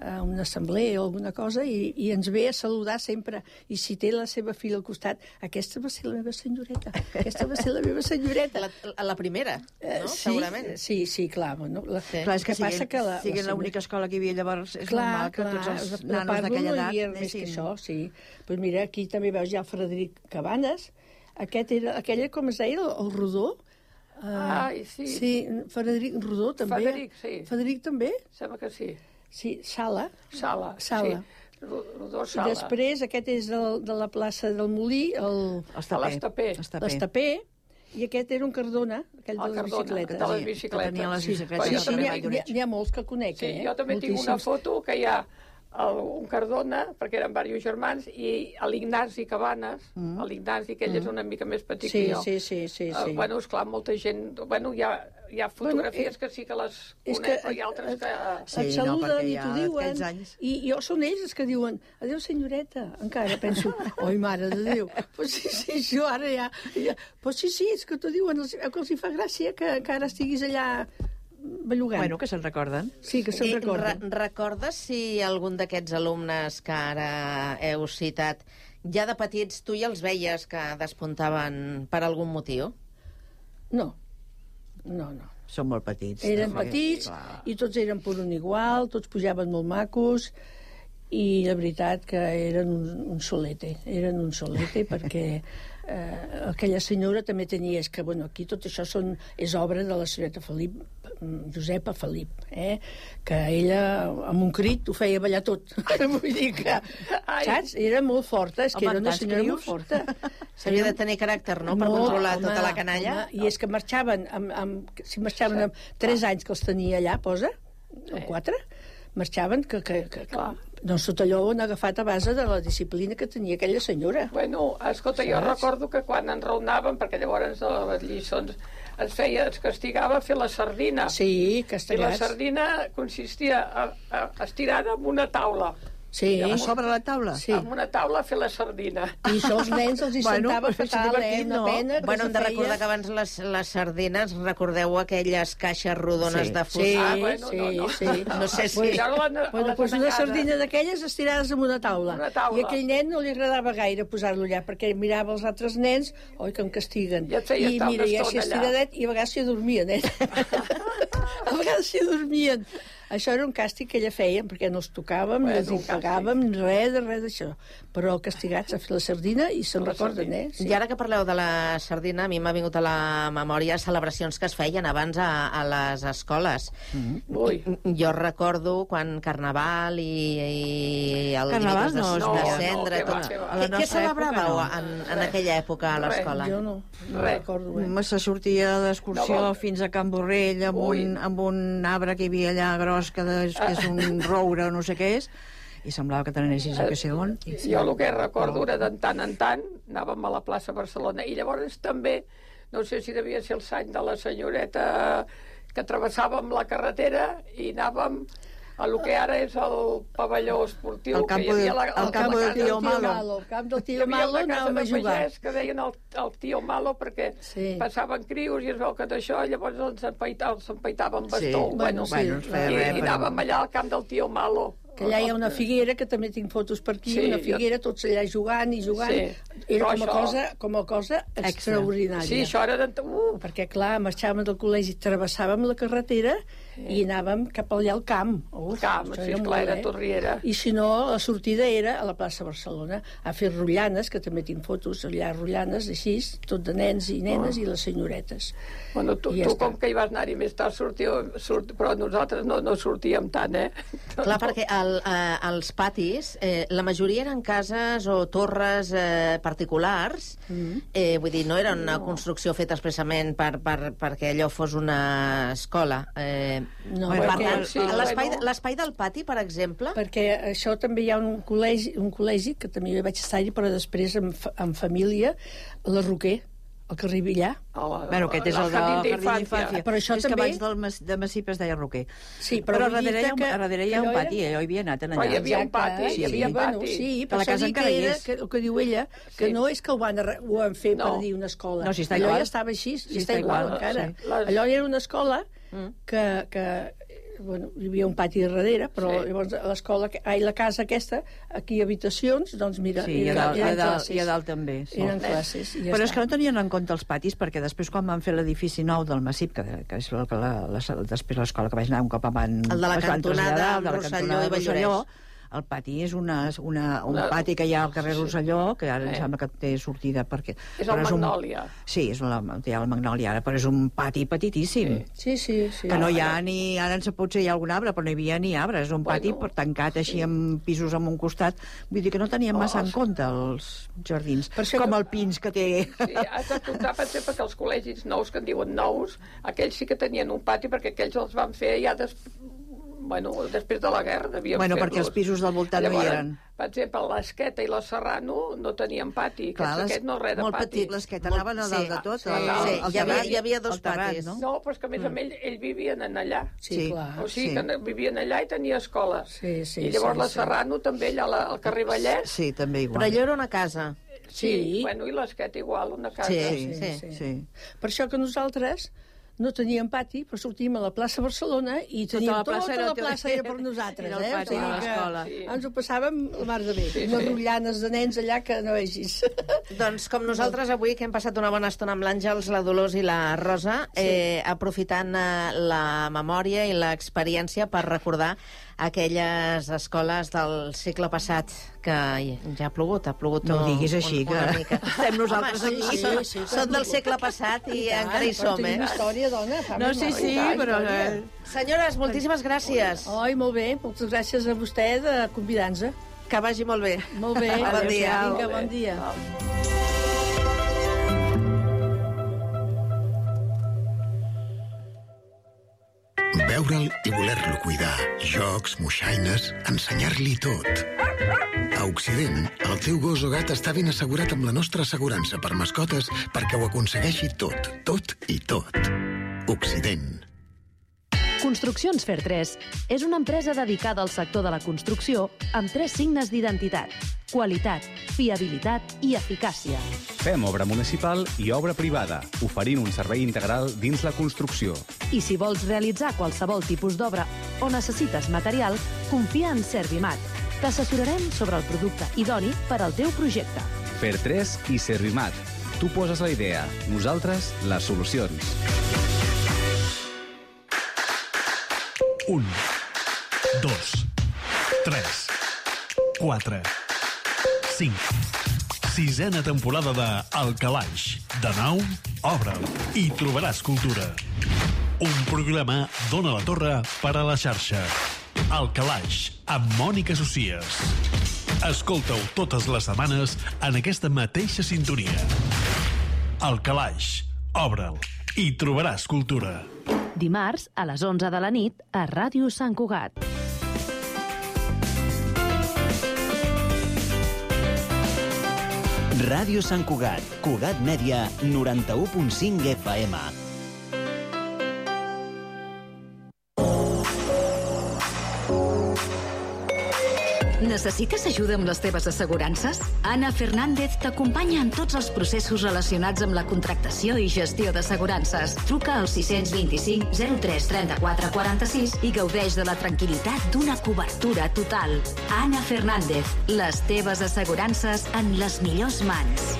[SPEAKER 13] a una assemblea o alguna cosa, i, i ens ve a saludar sempre. I si té la seva filla al costat, aquesta va ser la meva senyoreta, aquesta va ser la meva senyoreta.
[SPEAKER 7] La, la primera, no?
[SPEAKER 13] Uh, sí,
[SPEAKER 7] segurament.
[SPEAKER 13] Sí, sí, clar. No? La,
[SPEAKER 14] sí. Clar, és que, que passa que la, sigui l'única escola que hi havia llavors, és clar, normal que clar, tots els nanos d'aquella edat...
[SPEAKER 13] No hi havia més que això, sí. Pues mira, aquí també veus ja el Frederic Cabanes, aquest era, aquella, com es deia, el, el Rodó.
[SPEAKER 15] Uh, Ai, sí.
[SPEAKER 13] Sí, Frederic Rodó també.
[SPEAKER 15] Frederic, sí.
[SPEAKER 13] Frederic també?
[SPEAKER 15] Sembla que sí.
[SPEAKER 13] Sí, Sala.
[SPEAKER 15] Sala,
[SPEAKER 13] Sala.
[SPEAKER 15] sí. Rodó
[SPEAKER 13] I
[SPEAKER 15] Sala.
[SPEAKER 13] després aquest és del, de la plaça del Molí, el...
[SPEAKER 15] L'Estapé.
[SPEAKER 13] L'Estapé. I aquest era un Cardona, aquell de les bicicletes.
[SPEAKER 15] de les bicicletes.
[SPEAKER 14] Que tenia les bicicletes.
[SPEAKER 13] Sí,
[SPEAKER 15] Jo
[SPEAKER 13] sí,
[SPEAKER 15] també
[SPEAKER 13] n'hi ha,
[SPEAKER 15] vaig-
[SPEAKER 13] n'hi ha, n'hi ha molts que conec,
[SPEAKER 15] Sí,
[SPEAKER 13] eh?
[SPEAKER 15] jo també tinc una
[SPEAKER 13] Moltíssims.
[SPEAKER 15] foto que hi ha el, un Cardona, perquè eren diversos germans, i l'Ignasi Cabanes,
[SPEAKER 13] Mm.
[SPEAKER 15] l'Ignasi, que ell és una mica més petit
[SPEAKER 13] Sí,
[SPEAKER 15] que jo.
[SPEAKER 13] sí, sí, sí,
[SPEAKER 15] Uh,
[SPEAKER 13] sí.
[SPEAKER 15] bueno, esclar, molta gent... Bueno, hi ha, hi ha fotografies
[SPEAKER 13] Bueno, eh,
[SPEAKER 15] que sí que les
[SPEAKER 13] és
[SPEAKER 15] conec,
[SPEAKER 13] que-
[SPEAKER 15] però hi ha altres que...
[SPEAKER 13] Sí, et saluden i t'ho diuen, i jo són ells els que diuen adéu senyoreta, encara penso oi mare de Déu, pues sí, sí, jo ara ja, ja pues sí, sí, és que t'ho diuen, els, que els hi fa gràcia que, que ara estiguis allà bellugant.
[SPEAKER 14] Bueno, que se'n recorden.
[SPEAKER 13] Sí, que se'n
[SPEAKER 7] I
[SPEAKER 13] recorden.
[SPEAKER 7] Re recordes si algun d'aquests alumnes que ara heu citat, ja de petits tu ja els veies que despuntaven per algun motiu?
[SPEAKER 13] No, no, no.
[SPEAKER 14] Són molt petits.
[SPEAKER 13] Eren
[SPEAKER 14] també.
[SPEAKER 13] petits
[SPEAKER 14] Clar.
[SPEAKER 13] i tots eren per un igual, tots pujaven molt macos i la veritat que eren un, un solete, eren un solete perquè eh, aquella senyora també tenia, és que bueno, aquí tot això són, és obra de la senyoreta Felip, Josepa Felip, eh? Que ella amb un crit ho feia ballar tot. Vull dir que, saps? Era molt forta, és que
[SPEAKER 7] Home,
[SPEAKER 13] era una
[SPEAKER 7] tants
[SPEAKER 13] senyora
[SPEAKER 7] crios.
[SPEAKER 13] molt forta.
[SPEAKER 7] S'havia de tenir caràcter, no?, per
[SPEAKER 13] Molt,
[SPEAKER 7] controlar
[SPEAKER 13] home,
[SPEAKER 7] tota la canalla.
[SPEAKER 13] home, I és que marxaven, amb, amb, si marxaven amb tres anys que els tenia allà, posa, o quatre, marxaven que, que, que, que doncs tot allò ho han agafat a base de la disciplina que tenia aquella senyora.
[SPEAKER 15] Bueno, escolta, jo
[SPEAKER 13] Saps?
[SPEAKER 15] recordo que quan enraonaven, perquè llavors a les lliçons es feia, es castigava a fer la sardina.
[SPEAKER 13] Sí,
[SPEAKER 15] I la
[SPEAKER 13] castigats.
[SPEAKER 15] sardina consistia a, a, estirada en una taula.
[SPEAKER 13] Sí.
[SPEAKER 15] A
[SPEAKER 14] sobre la taula?
[SPEAKER 13] Sí.
[SPEAKER 15] Amb una taula a fer la sardina.
[SPEAKER 13] I això els nens els hi sentava
[SPEAKER 14] però és
[SPEAKER 13] fatal, eh?
[SPEAKER 14] divertit,
[SPEAKER 13] Una
[SPEAKER 14] no?
[SPEAKER 13] pena que
[SPEAKER 7] Bueno, hem
[SPEAKER 13] se
[SPEAKER 7] de
[SPEAKER 13] feia...
[SPEAKER 7] recordar que abans les, les sardines, recordeu aquelles caixes rodones
[SPEAKER 13] Sí.
[SPEAKER 7] de fusta?
[SPEAKER 13] Sí,
[SPEAKER 15] Ah, bueno,
[SPEAKER 13] sí,
[SPEAKER 15] no, no.
[SPEAKER 13] sí.
[SPEAKER 7] No sé si...
[SPEAKER 13] Pues,
[SPEAKER 15] Ara la-
[SPEAKER 13] bueno,
[SPEAKER 15] la
[SPEAKER 13] pues una
[SPEAKER 15] tacada.
[SPEAKER 13] sardina d'aquelles estirades en una taula.
[SPEAKER 15] Una taula.
[SPEAKER 13] I aquell nen no li agradava gaire posar-lo allà, perquè mirava els altres nens, oi, que em castiguen.
[SPEAKER 15] I et feia
[SPEAKER 13] I
[SPEAKER 15] estar
[SPEAKER 13] mira,
[SPEAKER 15] una
[SPEAKER 13] i així
[SPEAKER 15] estona allà.
[SPEAKER 13] estiradet, i a vegades s'hi dormien, eh? A vegades s'hi dormien. Això era un càstig que ella feia, perquè no els tocàvem,
[SPEAKER 15] Bueno,
[SPEAKER 13] ni els
[SPEAKER 15] un
[SPEAKER 13] hi pagàvem, res de res d'això. Però castigats a fer la sardina i se'n
[SPEAKER 15] La
[SPEAKER 13] recorden,
[SPEAKER 15] sardina.
[SPEAKER 13] eh? Sí.
[SPEAKER 7] I ara que parleu de la sardina, a mi m'ha vingut a la memòria celebracions que es feien abans a, a les escoles.
[SPEAKER 13] Mm-hmm.
[SPEAKER 15] Ui.
[SPEAKER 7] Jo recordo quan Carnaval i, i el
[SPEAKER 14] Carnaval
[SPEAKER 7] dimecres de,
[SPEAKER 14] no,
[SPEAKER 7] de
[SPEAKER 14] no, no,
[SPEAKER 7] cendre...
[SPEAKER 15] què va,
[SPEAKER 7] tot.
[SPEAKER 15] què va.
[SPEAKER 14] A la
[SPEAKER 7] Què, què
[SPEAKER 14] nostra
[SPEAKER 7] celebràveu
[SPEAKER 14] època, no.
[SPEAKER 7] en, en aquella època a
[SPEAKER 15] Res,
[SPEAKER 7] l'escola?
[SPEAKER 13] Jo no, no
[SPEAKER 15] Res.
[SPEAKER 13] recordo, eh?
[SPEAKER 14] Se sortia d'excursió
[SPEAKER 15] No,
[SPEAKER 14] no, fins a Can Borrell amb
[SPEAKER 15] Ui.
[SPEAKER 14] un, amb un arbre que hi havia allà gros que, de, que és un roure o no sé què és, i semblava que t'anessis a que sé on. I...
[SPEAKER 15] Jo el que recordo era de tant en tant, anàvem a la plaça Barcelona, i llavors també, no sé si devia ser el sany de la senyoreta, que travessàvem la carretera i anàvem a lo que ara és el pavelló esportiu.
[SPEAKER 14] El campo
[SPEAKER 15] que hi havia
[SPEAKER 14] de-
[SPEAKER 15] la,
[SPEAKER 14] el
[SPEAKER 15] la
[SPEAKER 14] campo
[SPEAKER 15] casa
[SPEAKER 14] del tío Malo.
[SPEAKER 13] El camp del
[SPEAKER 15] Hi
[SPEAKER 13] tio
[SPEAKER 15] havia
[SPEAKER 13] Malo
[SPEAKER 15] una casa
[SPEAKER 13] anàvem
[SPEAKER 15] de
[SPEAKER 13] a jugar.
[SPEAKER 15] pagès que deien el, el tio Malo perquè
[SPEAKER 13] Sí.
[SPEAKER 15] passaven crios i es veu que d'això llavors els empaitaven, els empaitaven amb bastó.
[SPEAKER 14] Sí.
[SPEAKER 15] Bueno,
[SPEAKER 13] Bueno, sí.
[SPEAKER 14] no es feia
[SPEAKER 15] i,
[SPEAKER 14] res,
[SPEAKER 15] i
[SPEAKER 14] però-
[SPEAKER 15] anàvem allà al camp del tio Malo.
[SPEAKER 13] Que allà hi ha una figuera, que també tinc fotos per aquí,
[SPEAKER 15] Sí,
[SPEAKER 13] una
[SPEAKER 15] jo-
[SPEAKER 13] figuera, tots allà jugant i jugant.
[SPEAKER 15] Sí.
[SPEAKER 13] Era
[SPEAKER 15] Però
[SPEAKER 13] com a,
[SPEAKER 15] això-
[SPEAKER 13] cosa, com a cosa extraordinària.
[SPEAKER 15] Sí, això era... De... Uh,
[SPEAKER 13] Perquè, clar, marxàvem del col·legi, travessàvem la carretera i anàvem cap allà al camp. Uf,
[SPEAKER 15] camp,
[SPEAKER 13] això
[SPEAKER 15] sí,
[SPEAKER 13] era
[SPEAKER 15] esclar,
[SPEAKER 13] molt,
[SPEAKER 15] era
[SPEAKER 13] eh?
[SPEAKER 15] Torriera.
[SPEAKER 13] I si no, la sortida era a la plaça Barcelona, a fer rotllanes, que també tinc fotos allà, rotllanes, així, tot de nens i nenes
[SPEAKER 15] Oh.
[SPEAKER 13] i les senyoretes.
[SPEAKER 15] Bueno, tu,
[SPEAKER 13] I ja
[SPEAKER 15] tu
[SPEAKER 13] està.
[SPEAKER 15] com que hi vas anar-hi més tard, sortiu, surt, però nosaltres no, no sortíem tant, eh?
[SPEAKER 7] Clar, perquè el, eh, els patis, eh, la majoria eren cases o torres eh, particulars,
[SPEAKER 13] Mm.
[SPEAKER 7] eh, vull dir, no era una construcció feta expressament per, per, perquè allò fos una escola. Eh,
[SPEAKER 13] No,
[SPEAKER 7] per
[SPEAKER 13] perquè-
[SPEAKER 7] tant,
[SPEAKER 13] sí,
[SPEAKER 7] l'espai
[SPEAKER 13] bueno.
[SPEAKER 7] l'espai del pati, per exemple...
[SPEAKER 13] Perquè això també hi ha un col·legi, un col·legi que també jo vaig estar-hi, però després en, fa- en família, la Roquer, el carrer Villar.
[SPEAKER 14] Bueno, aquest és el del Jardí d'Infància.
[SPEAKER 13] Però això
[SPEAKER 14] és que
[SPEAKER 13] també...
[SPEAKER 14] abans del Mas, de Massip es deia Roquer.
[SPEAKER 13] Sí,
[SPEAKER 14] però,
[SPEAKER 13] però
[SPEAKER 14] però
[SPEAKER 13] vull
[SPEAKER 14] darrere, hi ha,
[SPEAKER 13] dir-te
[SPEAKER 14] un-
[SPEAKER 13] que-
[SPEAKER 14] darrere hi ha
[SPEAKER 13] que
[SPEAKER 14] un
[SPEAKER 13] allò
[SPEAKER 14] pati,
[SPEAKER 13] era-
[SPEAKER 14] eh? jo hi havia anat en
[SPEAKER 15] Però
[SPEAKER 14] allà.
[SPEAKER 15] hi havia un pati,
[SPEAKER 13] sí,
[SPEAKER 15] hi havia
[SPEAKER 13] sí, bueno,
[SPEAKER 15] pati.
[SPEAKER 13] sí,
[SPEAKER 14] Que
[SPEAKER 13] però
[SPEAKER 14] la
[SPEAKER 13] això
[SPEAKER 14] casa
[SPEAKER 13] dic
[SPEAKER 14] encara
[SPEAKER 13] que
[SPEAKER 14] hi
[SPEAKER 13] era,
[SPEAKER 14] és.
[SPEAKER 13] que, el que diu ella, que
[SPEAKER 15] Sí.
[SPEAKER 13] no és que ho van, arre- ho han fet
[SPEAKER 15] No.
[SPEAKER 13] per dir una escola.
[SPEAKER 14] No, si està
[SPEAKER 13] allò
[SPEAKER 14] igual.
[SPEAKER 13] ja estava així,
[SPEAKER 14] Sí,
[SPEAKER 13] i està
[SPEAKER 14] està
[SPEAKER 13] igual,
[SPEAKER 14] igual,
[SPEAKER 13] encara.
[SPEAKER 14] sí.
[SPEAKER 15] Les-
[SPEAKER 13] Allò era una escola
[SPEAKER 7] Mm.
[SPEAKER 13] que, que bueno, hi havia un pati darrere, però
[SPEAKER 15] Sí.
[SPEAKER 13] llavors a l'escola, que- ai, la casa aquesta, aquí habitacions, doncs mira,
[SPEAKER 14] Sí, i a
[SPEAKER 13] eren,
[SPEAKER 14] dalt, i a
[SPEAKER 13] eren
[SPEAKER 14] dalt,
[SPEAKER 13] classes.
[SPEAKER 14] i a dalt també. Sí.
[SPEAKER 13] Eren classes, i ja
[SPEAKER 14] Però és
[SPEAKER 13] està.
[SPEAKER 14] que no tenien en compte els patis, perquè després quan van fer l'edifici nou del Massip, que, que és la, la, la, després l'escola que vaig anar un cop van,
[SPEAKER 7] El de la
[SPEAKER 14] es van
[SPEAKER 7] cantonada
[SPEAKER 14] traslladar,
[SPEAKER 7] amb
[SPEAKER 14] el de la
[SPEAKER 7] Rosselló
[SPEAKER 14] cantonada
[SPEAKER 7] i
[SPEAKER 14] de Rosselló,
[SPEAKER 7] Vallhoreix.
[SPEAKER 14] El pati és una, una, un pati que hi ha al carrer Rosselló, que ara em sembla que té sortida perquè...
[SPEAKER 15] És el Magnòlia.
[SPEAKER 14] Sí, és la, hi ha el Magnòlia ara, però és un pati petitíssim.
[SPEAKER 13] Sí, sí, sí.
[SPEAKER 14] Que no hi ha ni... Ara en potser hi ha algun arbre, però no hi havia ni arbre. És un pati bueno, tancat així amb pisos en un costat. Vull dir que no teníem massa en compte els jardins. Com el Pins, que té...
[SPEAKER 15] Sí, has de comptar, per exemple, que els col·legis nous, que en diuen nous, aquells sí que tenien un pati, perquè aquells els van fer ja des... bueno, després de la guerra devien
[SPEAKER 14] bueno,
[SPEAKER 15] fer-los.
[SPEAKER 14] perquè els pisos del voltant
[SPEAKER 15] Llavors,
[SPEAKER 14] no hi eren.
[SPEAKER 15] Per exemple, l'Esqueta i la Serrano no tenien pati.
[SPEAKER 14] Clar,
[SPEAKER 15] aquest no res de
[SPEAKER 14] molt
[SPEAKER 15] pati.
[SPEAKER 14] petit, l'Esqueta anava a dalt de tot.
[SPEAKER 7] Sí, sí. Hi, havia, hi havia dos patis.
[SPEAKER 15] No? no, però és que a més a més ells vivien en allà.
[SPEAKER 13] Sí, clar.
[SPEAKER 15] O sigui
[SPEAKER 14] sí.
[SPEAKER 15] que vivien allà i tenia escola.
[SPEAKER 13] Sí, sí,
[SPEAKER 15] I llavors
[SPEAKER 13] sí,
[SPEAKER 15] la Serrano sí. també allà al carrer Vallès.
[SPEAKER 14] Sí, també igual.
[SPEAKER 7] Però allò era una casa.
[SPEAKER 15] Sí, sí. Bueno, i l'Esqueta igual, una casa.
[SPEAKER 7] Sí, sí,
[SPEAKER 13] sí.
[SPEAKER 14] sí.
[SPEAKER 13] Per això que nosaltres no teníem pati, però sortíem a la plaça Barcelona i teníem tota la plaça, tota la plaça era per nosaltres.
[SPEAKER 14] Era el pati de l'escola.
[SPEAKER 13] Sí. Ens ho passàvem la mar de bé. Sí, unes sí. rotllanes de nens allà que no vegis.
[SPEAKER 7] Doncs com nosaltres avui, que hem passat una bona estona amb l'Àngels, la Dolors i la Rosa, sí. eh, aprofitant eh, la memòria i l'experiència per recordar aquelles escoles del segle passat que ja ha plogut, ha plogut
[SPEAKER 14] no ho diguis així,
[SPEAKER 7] un, una
[SPEAKER 14] que
[SPEAKER 7] mica.
[SPEAKER 14] estem nosaltres
[SPEAKER 7] Home,
[SPEAKER 14] aquí.
[SPEAKER 7] Sí, sí, sí, són del segle passat i, i encara hi som, eh?
[SPEAKER 13] Història, dona,
[SPEAKER 14] no, sí, sí, però...
[SPEAKER 7] Senyores, moltíssimes gràcies.
[SPEAKER 13] Oi, molt bé, moltes gràcies a vostè de convidar-nos.
[SPEAKER 7] Que vagi molt bé.
[SPEAKER 13] Molt bé.
[SPEAKER 7] Bon dia.
[SPEAKER 13] Vinga, bon dia.
[SPEAKER 16] Veure'l i voler-lo cuidar. Jocs, moixaines, ensenyar-li tot. A Occident, el teu gos o gat està ben assegurat amb la nostra assegurança per mascotes perquè ho aconsegueixi tot, tot i tot. Occident.
[SPEAKER 4] Construccions Fer tres és una empresa dedicada al sector de la construcció amb tres signes d'identitat: qualitat, fiabilitat i eficàcia.
[SPEAKER 5] Fem obra municipal i obra privada, oferint un servei integral dins la construcció.
[SPEAKER 4] I si vols realitzar qualsevol tipus d'obra o necessites material, confia en Servimat. T'assessorarem sobre el producte idoni per al teu projecte.
[SPEAKER 5] Fer tres i Servimat. Tu poses la idea, nosaltres les solucions.
[SPEAKER 17] Un, dos, tres, quatre, cinc. Sisena temporada de El Calaix. De nou, obre'l i trobaràs cultura. Un programa d'Ona la Torre per a la xarxa. El Calaix, amb Mònica Socies. Escolta-ho totes les setmanes en aquesta mateixa sintonia. El Calaix, obre'l i trobaràs cultura.
[SPEAKER 4] Dimarts, a les onze de la nit, a Ràdio Sant Cugat.
[SPEAKER 3] Ràdio Sant Cugat, Cugat Mèdia, noranta-u punt cinc F M.
[SPEAKER 6] Necessites ajuda amb les teves assegurances? Anna Fernández t'acompanya en tots els processos relacionats amb la contractació i gestió d'assegurances. Truca al sis dos cinc, zero tres, trenta-quatre, quaranta-sis i gaudeix de la tranquil·litat d'una cobertura total. Anna Fernández, les teves assegurances en les millors mans.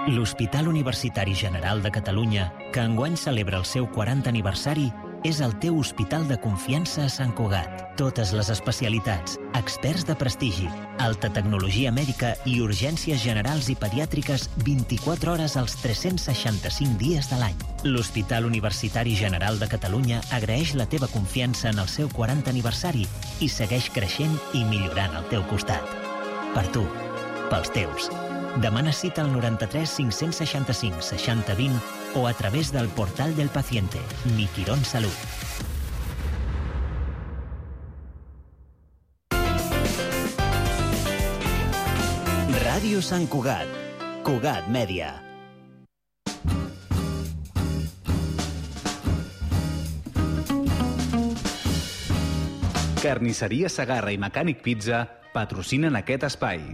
[SPEAKER 3] L'Hospital Universitari General de Catalunya, que enguany celebra el seu quaranta aniversari, és el teu hospital de confiança a Sant Cugat. Totes les especialitats, experts de prestigi, alta tecnologia mèdica i urgències generals i pediàtriques vint-i-quatre hores als tres-cents seixanta-cinc dies de l'any. L'Hospital Universitari General de Catalunya agraeix la teva confiança en el seu quaranta aniversari i segueix creixent i millorant al teu costat. Per tu, pels teus. Demana cita al noranta-tres cinc-cents seixanta-cinc seixanta vint o a través del portal del paciente, Mi Quirón Salut. Ràdio Sant Cugat, Cugat Mèdia.
[SPEAKER 5] Carnisseria Segarra i Mecànic Pizza patrocinen aquest espai.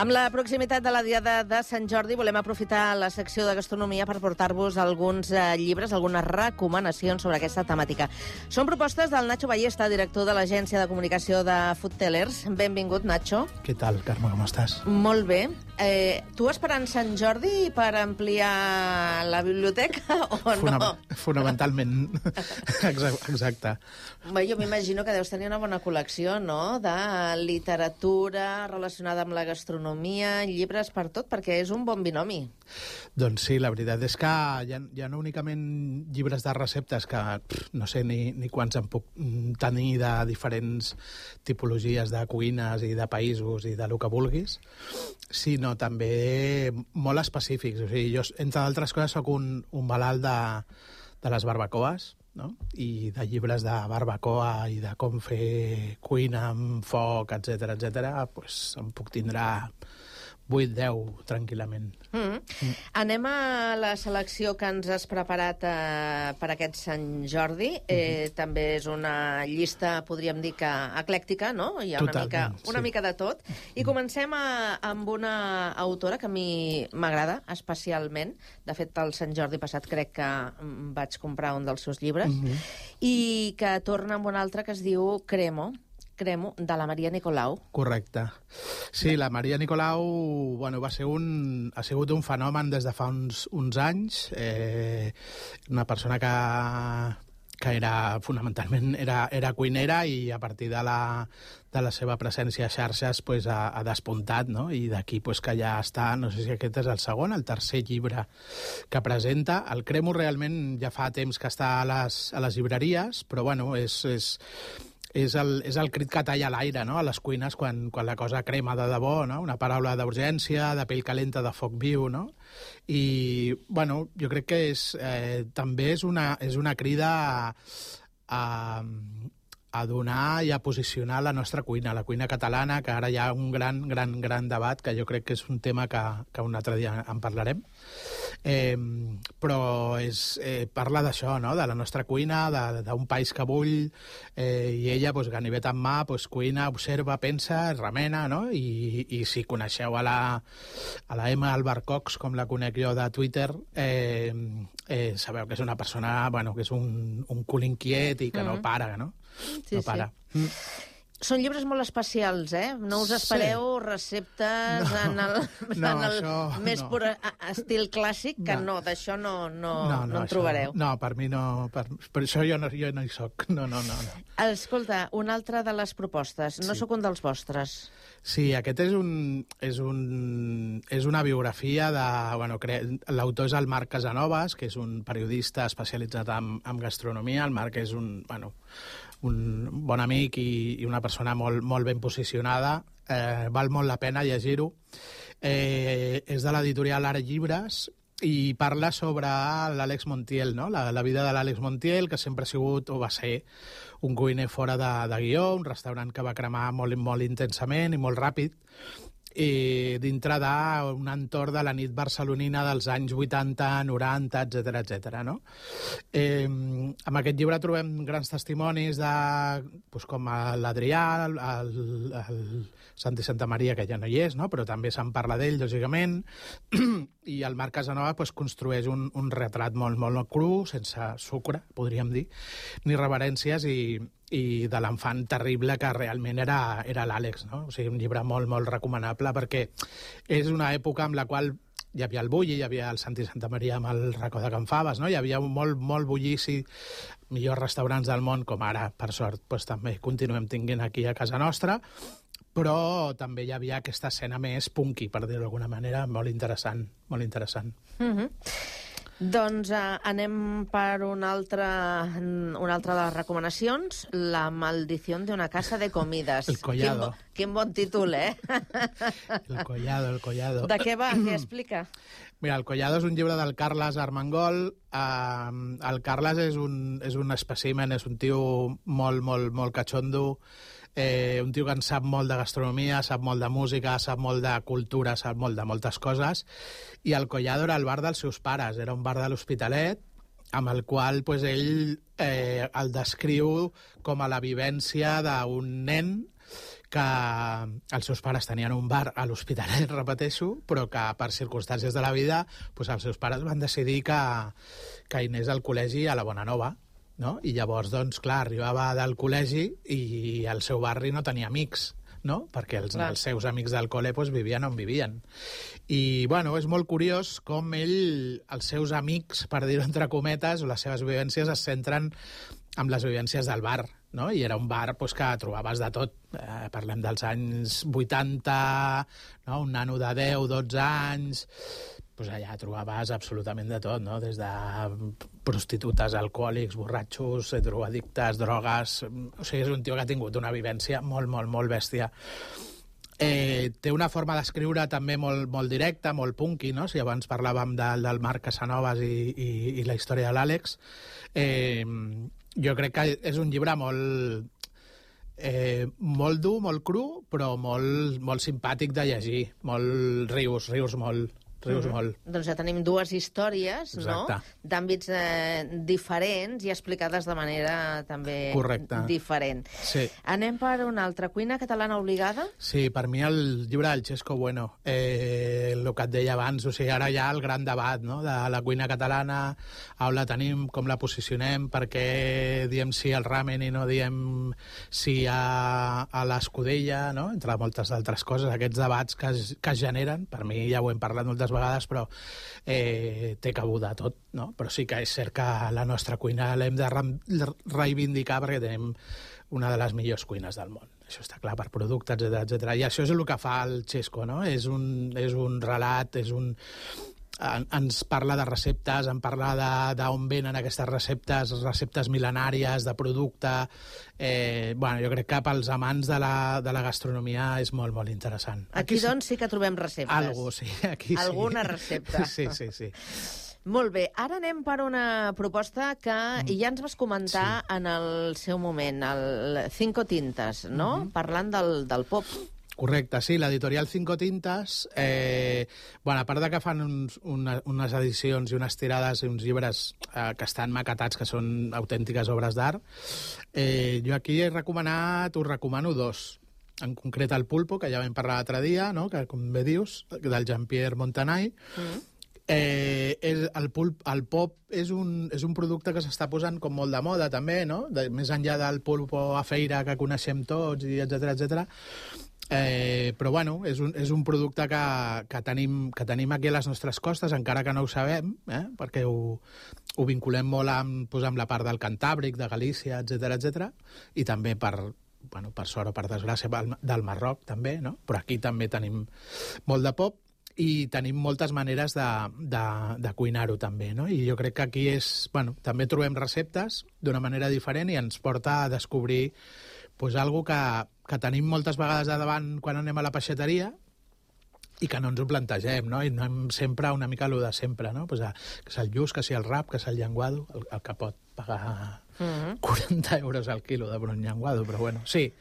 [SPEAKER 7] Amb la proximitat de la Diada de Sant Jordi volem aprofitar la secció de gastronomia per portar-vos alguns eh, llibres, algunes recomanacions sobre aquesta temàtica. Són propostes del Nacho Ballesta, director de l'agència de comunicació de Food Tellers. Benvingut, Nacho.
[SPEAKER 18] Què tal, Carme, com estàs?
[SPEAKER 7] Molt bé. Eh, tu esperant Sant Jordi per ampliar la biblioteca o
[SPEAKER 18] Fonam
[SPEAKER 7] no?
[SPEAKER 18] Fonamentalment. Exacte.
[SPEAKER 7] Bé, jo m'imagino que deus tenir una bona col·lecció, no?, de literatura relacionada amb la gastronomia, llibres per tot, perquè és un bon binomi.
[SPEAKER 18] Doncs sí, la veritat és que hi ha, hi ha no únicament llibres de receptes que pff, no sé ni, ni quants en puc tenir de diferents tipologies de cuines i de països i de lo que vulguis, sinó també molt específics. O sigui, jo, entre altres coses, soc un, un malalt de, de les barbacoes, no? I de llibres de barbacoa i de com fer cuina amb foc, etcètera, etcètera, pues em puc tindre vuit deu tranquil·lament.
[SPEAKER 7] Mm. Mm. Anem a la selecció que ens has preparat eh, per aquest Sant Jordi. Eh, mm-hmm. També és una llista, podríem dir que eclèctica, no? Hi ha una, mica, una sí. mica de tot. I comencem a, amb una autora que a mi m'agrada especialment. De fet, el Sant Jordi passat crec que vaig comprar un dels seus llibres. Mm-hmm. I que torna amb un altre que es diu Cremo. Cremo, de la Maria Nicolau.
[SPEAKER 18] Correcte. Sí, la Maria Nicolau bueno, va ser un, ha sigut un fenomen des de fa uns, uns anys. Eh, una persona que, que era, fonamentalment era, era cuinera i a partir de la, de la seva presència a xarxes pues, ha, ha despuntat, no? I d'aquí pues, que ja està, no sé si aquest és el segon, el tercer llibre que presenta. El Cremo realment ja fa temps que està a les, a les llibreries, però bueno, és... és És el, és el crit que talla l'aire, no?, a les cuines quan, quan la cosa crema de debò, no? Una paraula d'urgència, de pell calenta, de foc viu, no? I, bueno, jo crec que és, eh, també és una, és una crida a, a, a donar i a posicionar la nostra cuina, la cuina catalana, que ara hi ha un gran, gran, gran debat, que jo crec que és un tema que, que un altre dia en parlarem. Eh, però és, eh, parla d'això, no?, de la nostra cuina, d'un país que bull, eh, i ella, pues, ganivet en mà, pues, cuina, observa, pensa, remena, no? I, i si coneixeu a la, a la Emma Albarcox, com la conec jo de Twitter, eh, eh, sabeu que és una persona, bueno, que és un, un cul inquiet i que mm. no para, no?
[SPEAKER 7] Sí, no para. Sí. Mm. Són llibres molt especials, eh? No us espereu sí. receptes no. en el, no, en el això, més no. pur estil clàssic, que no, no d'això no, no, no, no, no en això, trobareu.
[SPEAKER 18] No, per mi no... Per, per això jo no, jo no hi soc. No, no, no, no.
[SPEAKER 7] Escolta, una altra de les propostes. No sí. sóc un dels vostres.
[SPEAKER 18] Sí, aquest és, un, és, un, és una biografia de... Bueno, l'autor és el Marc Casanovas, que és un periodista especialitzat en, en gastronomia. El Marc és un... Bueno, un bon amic i, i una persona molt, molt ben posicionada. Eh, val molt la pena llegir-ho. Eh, és de l'editorial Ara Llibres i parla sobre l'Àlex Montiel, no? la, la vida de l'Àlex Montiel, que sempre ha sigut o va ser un cuiner fora de, de guió, un restaurant que va cremar molt, molt intensament i molt ràpid, i dintre d'un entorn de la nit barcelonina dels anys vuitanta, noranta, etcètera, etcètera, no? Eh, amb aquest llibre trobem grans testimonis de, doncs, com l'Adrià, el, el, el Santi Santamaria, que ja no hi és, no? Però també se'n parla d'ell, lògicament, i el Marc Casanova pues, construeix un, un retrat molt, molt cru, sense sucre, podríem dir, ni reverències, i i de l'enfant terrible que realment era, era l'Àlex, no? O sigui, un llibre molt, molt recomanable perquè és una època en la qual hi havia el bulli, hi havia el Santi Santamaria amb el racó de Can Faves, no? Hi havia molt, molt bullici, millors restaurants del món, com ara, per sort, doncs, també continuem tinguent aquí a casa nostra, però també hi havia aquesta escena més punky, per dir-ho d'alguna manera, molt interessant, molt interessant.
[SPEAKER 7] Mm-hmm. Doncs uh, anem per una altra, una altra de les recomanacions, La maldició d'una casa de comides.
[SPEAKER 18] El collado.
[SPEAKER 7] Quin, bo, quin bon títol, eh?
[SPEAKER 18] El collado, el collado.
[SPEAKER 7] De què va? Què explica?
[SPEAKER 18] Mira, El collado és un llibre del Carles Armengol. Uh, el Carles és un, és un espècimen, és un tio molt, molt, molt catxondo, eh, un tio que en sap molt de gastronomia, sap molt de música, sap molt de cultura, sap molt de moltes coses, i el Collado era el bar dels seus pares, era un bar de l'Hospitalet, amb el qual pues, ell eh, el descriu com a la vivència d'un nen que els seus pares tenien un bar a l'Hospitalet, repeteixo, però que per circumstàncies de la vida doncs els seus pares van decidir que, que hi anés al col·legi a la Bonanova, no? I llavors, doncs, clar, arribava del col·legi i el seu barri no tenia amics, no? Perquè els, els seus amics del col·le doncs, vivien on vivien. I, bueno, és molt curiós com ell, els seus amics, per dir-ho entre cometes, o les seves vivències es centren amb les vivències del bar, no? I era un bar doncs, que trobaves de tot. Eh, parlem dels anys vuitanta, no? Un nano de deu, dotze anys... Pues allà trobaves absolutament de tot, no? Des de prostitutes, alcohòlics, borratxos, drogadictes, drogues... O sigui, és un tio que ha tingut una vivència molt, molt, molt bèstia. Eh, té una forma d'escriure també molt, molt directa, molt punky, no? Si abans parlàvem del, del Marc Casanovas i, i, i la història de l'Àlex, eh, jo crec que és un llibre molt... Eh, molt dur, molt cru, però molt, molt simpàtic de llegir. Molt rius, rius molt... rius
[SPEAKER 7] Mm-hmm.
[SPEAKER 18] molt.
[SPEAKER 7] Doncs ja tenim dues històries,
[SPEAKER 18] Exacte.
[SPEAKER 7] no?, d'àmbits eh, diferents i explicades de manera també
[SPEAKER 18] Correcte.
[SPEAKER 7] diferent.
[SPEAKER 18] Sí.
[SPEAKER 7] Anem per una altra. Cuina catalana obligada?
[SPEAKER 18] Sí, per mi el llibre del Xesco Bueno, eh, el que et deia abans, o sigui, ara hi ha el gran debat, no?, de la cuina catalana, on la tenim, com la posicionem, per què diem sí al ramen i no diem sí a, a l'escudella, no?, entre moltes altres coses, aquests debats que es, que es generen, per mi ja ho hem parlat moltes vegades, però eh, té cabuda tot, no? Però sí que és cert que la nostra cuina l'hem de re reivindicar perquè tenim una de les millors cuines del món. Això està clar, per productes, etcètera, etcètera. I això és el que fa el Xesco, no? És un, és un relat, és un... ens parla de receptes, en parla d'on venen aquestes receptes, receptes mil·lenàries, de producte... Eh, bueno, jo crec que pels amants de la, de la gastronomia és molt, molt interessant.
[SPEAKER 7] Aquí, aquí doncs, sí que trobem receptes.
[SPEAKER 18] Algo, sí. Aquí sí.
[SPEAKER 7] Alguna recepta.
[SPEAKER 18] Sí, sí, sí.
[SPEAKER 7] Molt bé, ara anem per una proposta que mm. ja ens vas comentar sí. en el seu moment, el Cinco Tintes, no? Mm-hmm. Parlant del, del pop.
[SPEAKER 18] Correcte, sí, l'editorial Cinco Tintes, eh, bueno, a part de que fan uns, una, unes edicions i unes tirades i uns llibres eh, que estan maquetats, que són autèntiques obres d'art, eh, jo aquí he recomanat, us recomano dos. En concret el Pulpo, que ja vam parlar l'altre dia, no?, que com bé dius, del Jean-Pierre Montanay. Mm. Eh, és, el, pulp, el pop és un, és un producte que s'està posant com molt de moda també, no?, de, més enllà del Pulpo a feira que coneixem tots, i etcètera, etcètera. Eh, però bueno, és un, és un producte que, que, tenim, que tenim aquí a les nostres costes, encara que no ho sabem, eh? Perquè ho, ho vinculem molt amb, doncs, amb la part del Cantàbric, de Galícia, etcètera, etcètera, i també per, bueno, per sort o per desgràcia del Marroc també, no? Però aquí també tenim molt de pop i tenim moltes maneres de, de, de cuinar-ho també, no? I jo crec que aquí és, bueno, també trobem receptes d'una manera diferent i ens porta a descobrir pues, algo que, que tenim moltes vegades de davant quan anem a la peixateria i que no ens ho plantegem, no? I anem sempre una mica allò de sempre, no? Pues, a, que és el lluç, que si el rap, que és el llenguado, el, el que pot pagar mm-hmm. quaranta euros al quilo de brun llenguado, però bueno, sí,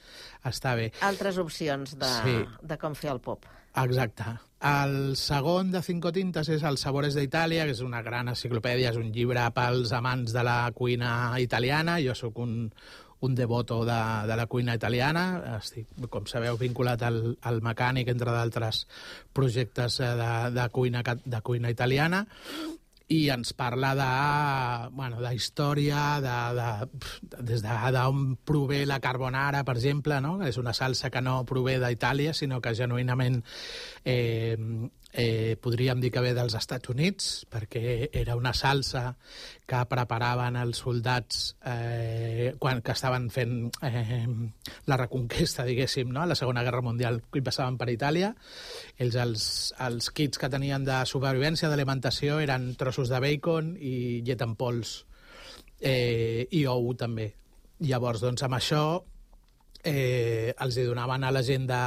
[SPEAKER 18] està bé.
[SPEAKER 7] Altres opcions de, sí. de com fer el pop.
[SPEAKER 18] Exacte. El segon de Cinco Tintes és el Sabores d'Itàlia, que és una gran enciclopèdia, és un llibre pels amants de la cuina italiana. Jo sóc un, un devoto de, de la cuina italiana. Estic, com sabeu, vinculat al, al Mecànic, entre d'altres projectes de, de, cuina, de cuina italiana. I ens parla de, bueno, de història, de, de, des d'on prové la carbonara, per exemple, no? És una salsa que no prové d'Itàlia, sinó que genuïnament eh, eh, podríem dir que ve dels Estats Units, perquè era una salsa que preparaven els soldats eh, quan que estaven fent eh, la reconquesta, diguéssim, no? A la Segona Guerra Mundial, i passaven per Itàlia. Ells, els, els kits que tenien de supervivència, d'alimentació, eren trossos de bacon i llet en pols, eh, i ou també. Llavors, doncs, amb això eh, els hi donaven a la gent de,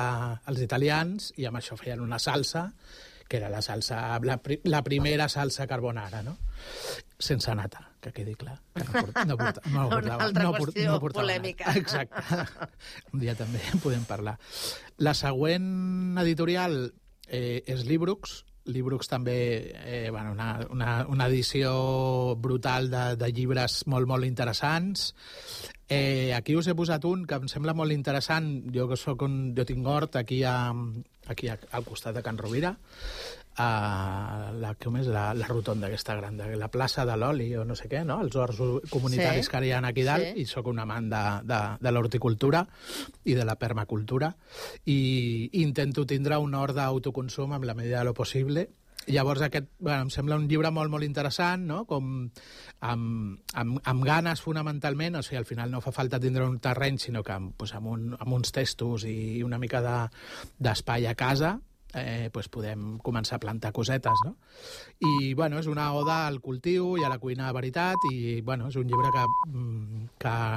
[SPEAKER 18] als italians, i amb això feien una salsa, que era la salsa, la, la primera salsa carbonara, no? Sense nata, que quedi clar. Que no, port, no, porta, no,
[SPEAKER 7] Una
[SPEAKER 18] portava,
[SPEAKER 7] altra
[SPEAKER 18] no,
[SPEAKER 7] qüestió
[SPEAKER 18] no portava
[SPEAKER 7] polèmica.
[SPEAKER 18] Nata. Exacte. Un dia també en podem parlar. La següent editorial eh, és Librux. Librux també, eh, bueno, una, una, una edició brutal de, de llibres molt, molt interessants. Eh, aquí us he posat un que em sembla molt interessant. Jo que soc un... Jo tinc hort aquí, a, aquí a, al costat de Can Rovira, a la, com és, la, la rotonda aquesta gran, la plaça de l'oli o no sé què, no? Els horts comunitaris
[SPEAKER 7] Sí.
[SPEAKER 18] que hi ha aquí dalt,
[SPEAKER 7] Sí.
[SPEAKER 18] i sóc un amant de, de, de l'horticultura i de la permacultura, i intento tindre un hort d'autoconsum amb la medida de lo possible. Llavors, aquest, bueno, em sembla un llibre molt, molt interessant, no? Com amb, amb, amb ganes, fonamentalment, o sigui, al final no fa falta tindre un terreny, sinó que amb, pues, amb, un, amb uns testos i una mica de, d'espai a casa, eh, pues podem començar a plantar cosetes, no? I, bueno, és una oda al cultiu i a la cuina de veritat, i, bueno, és un llibre que, que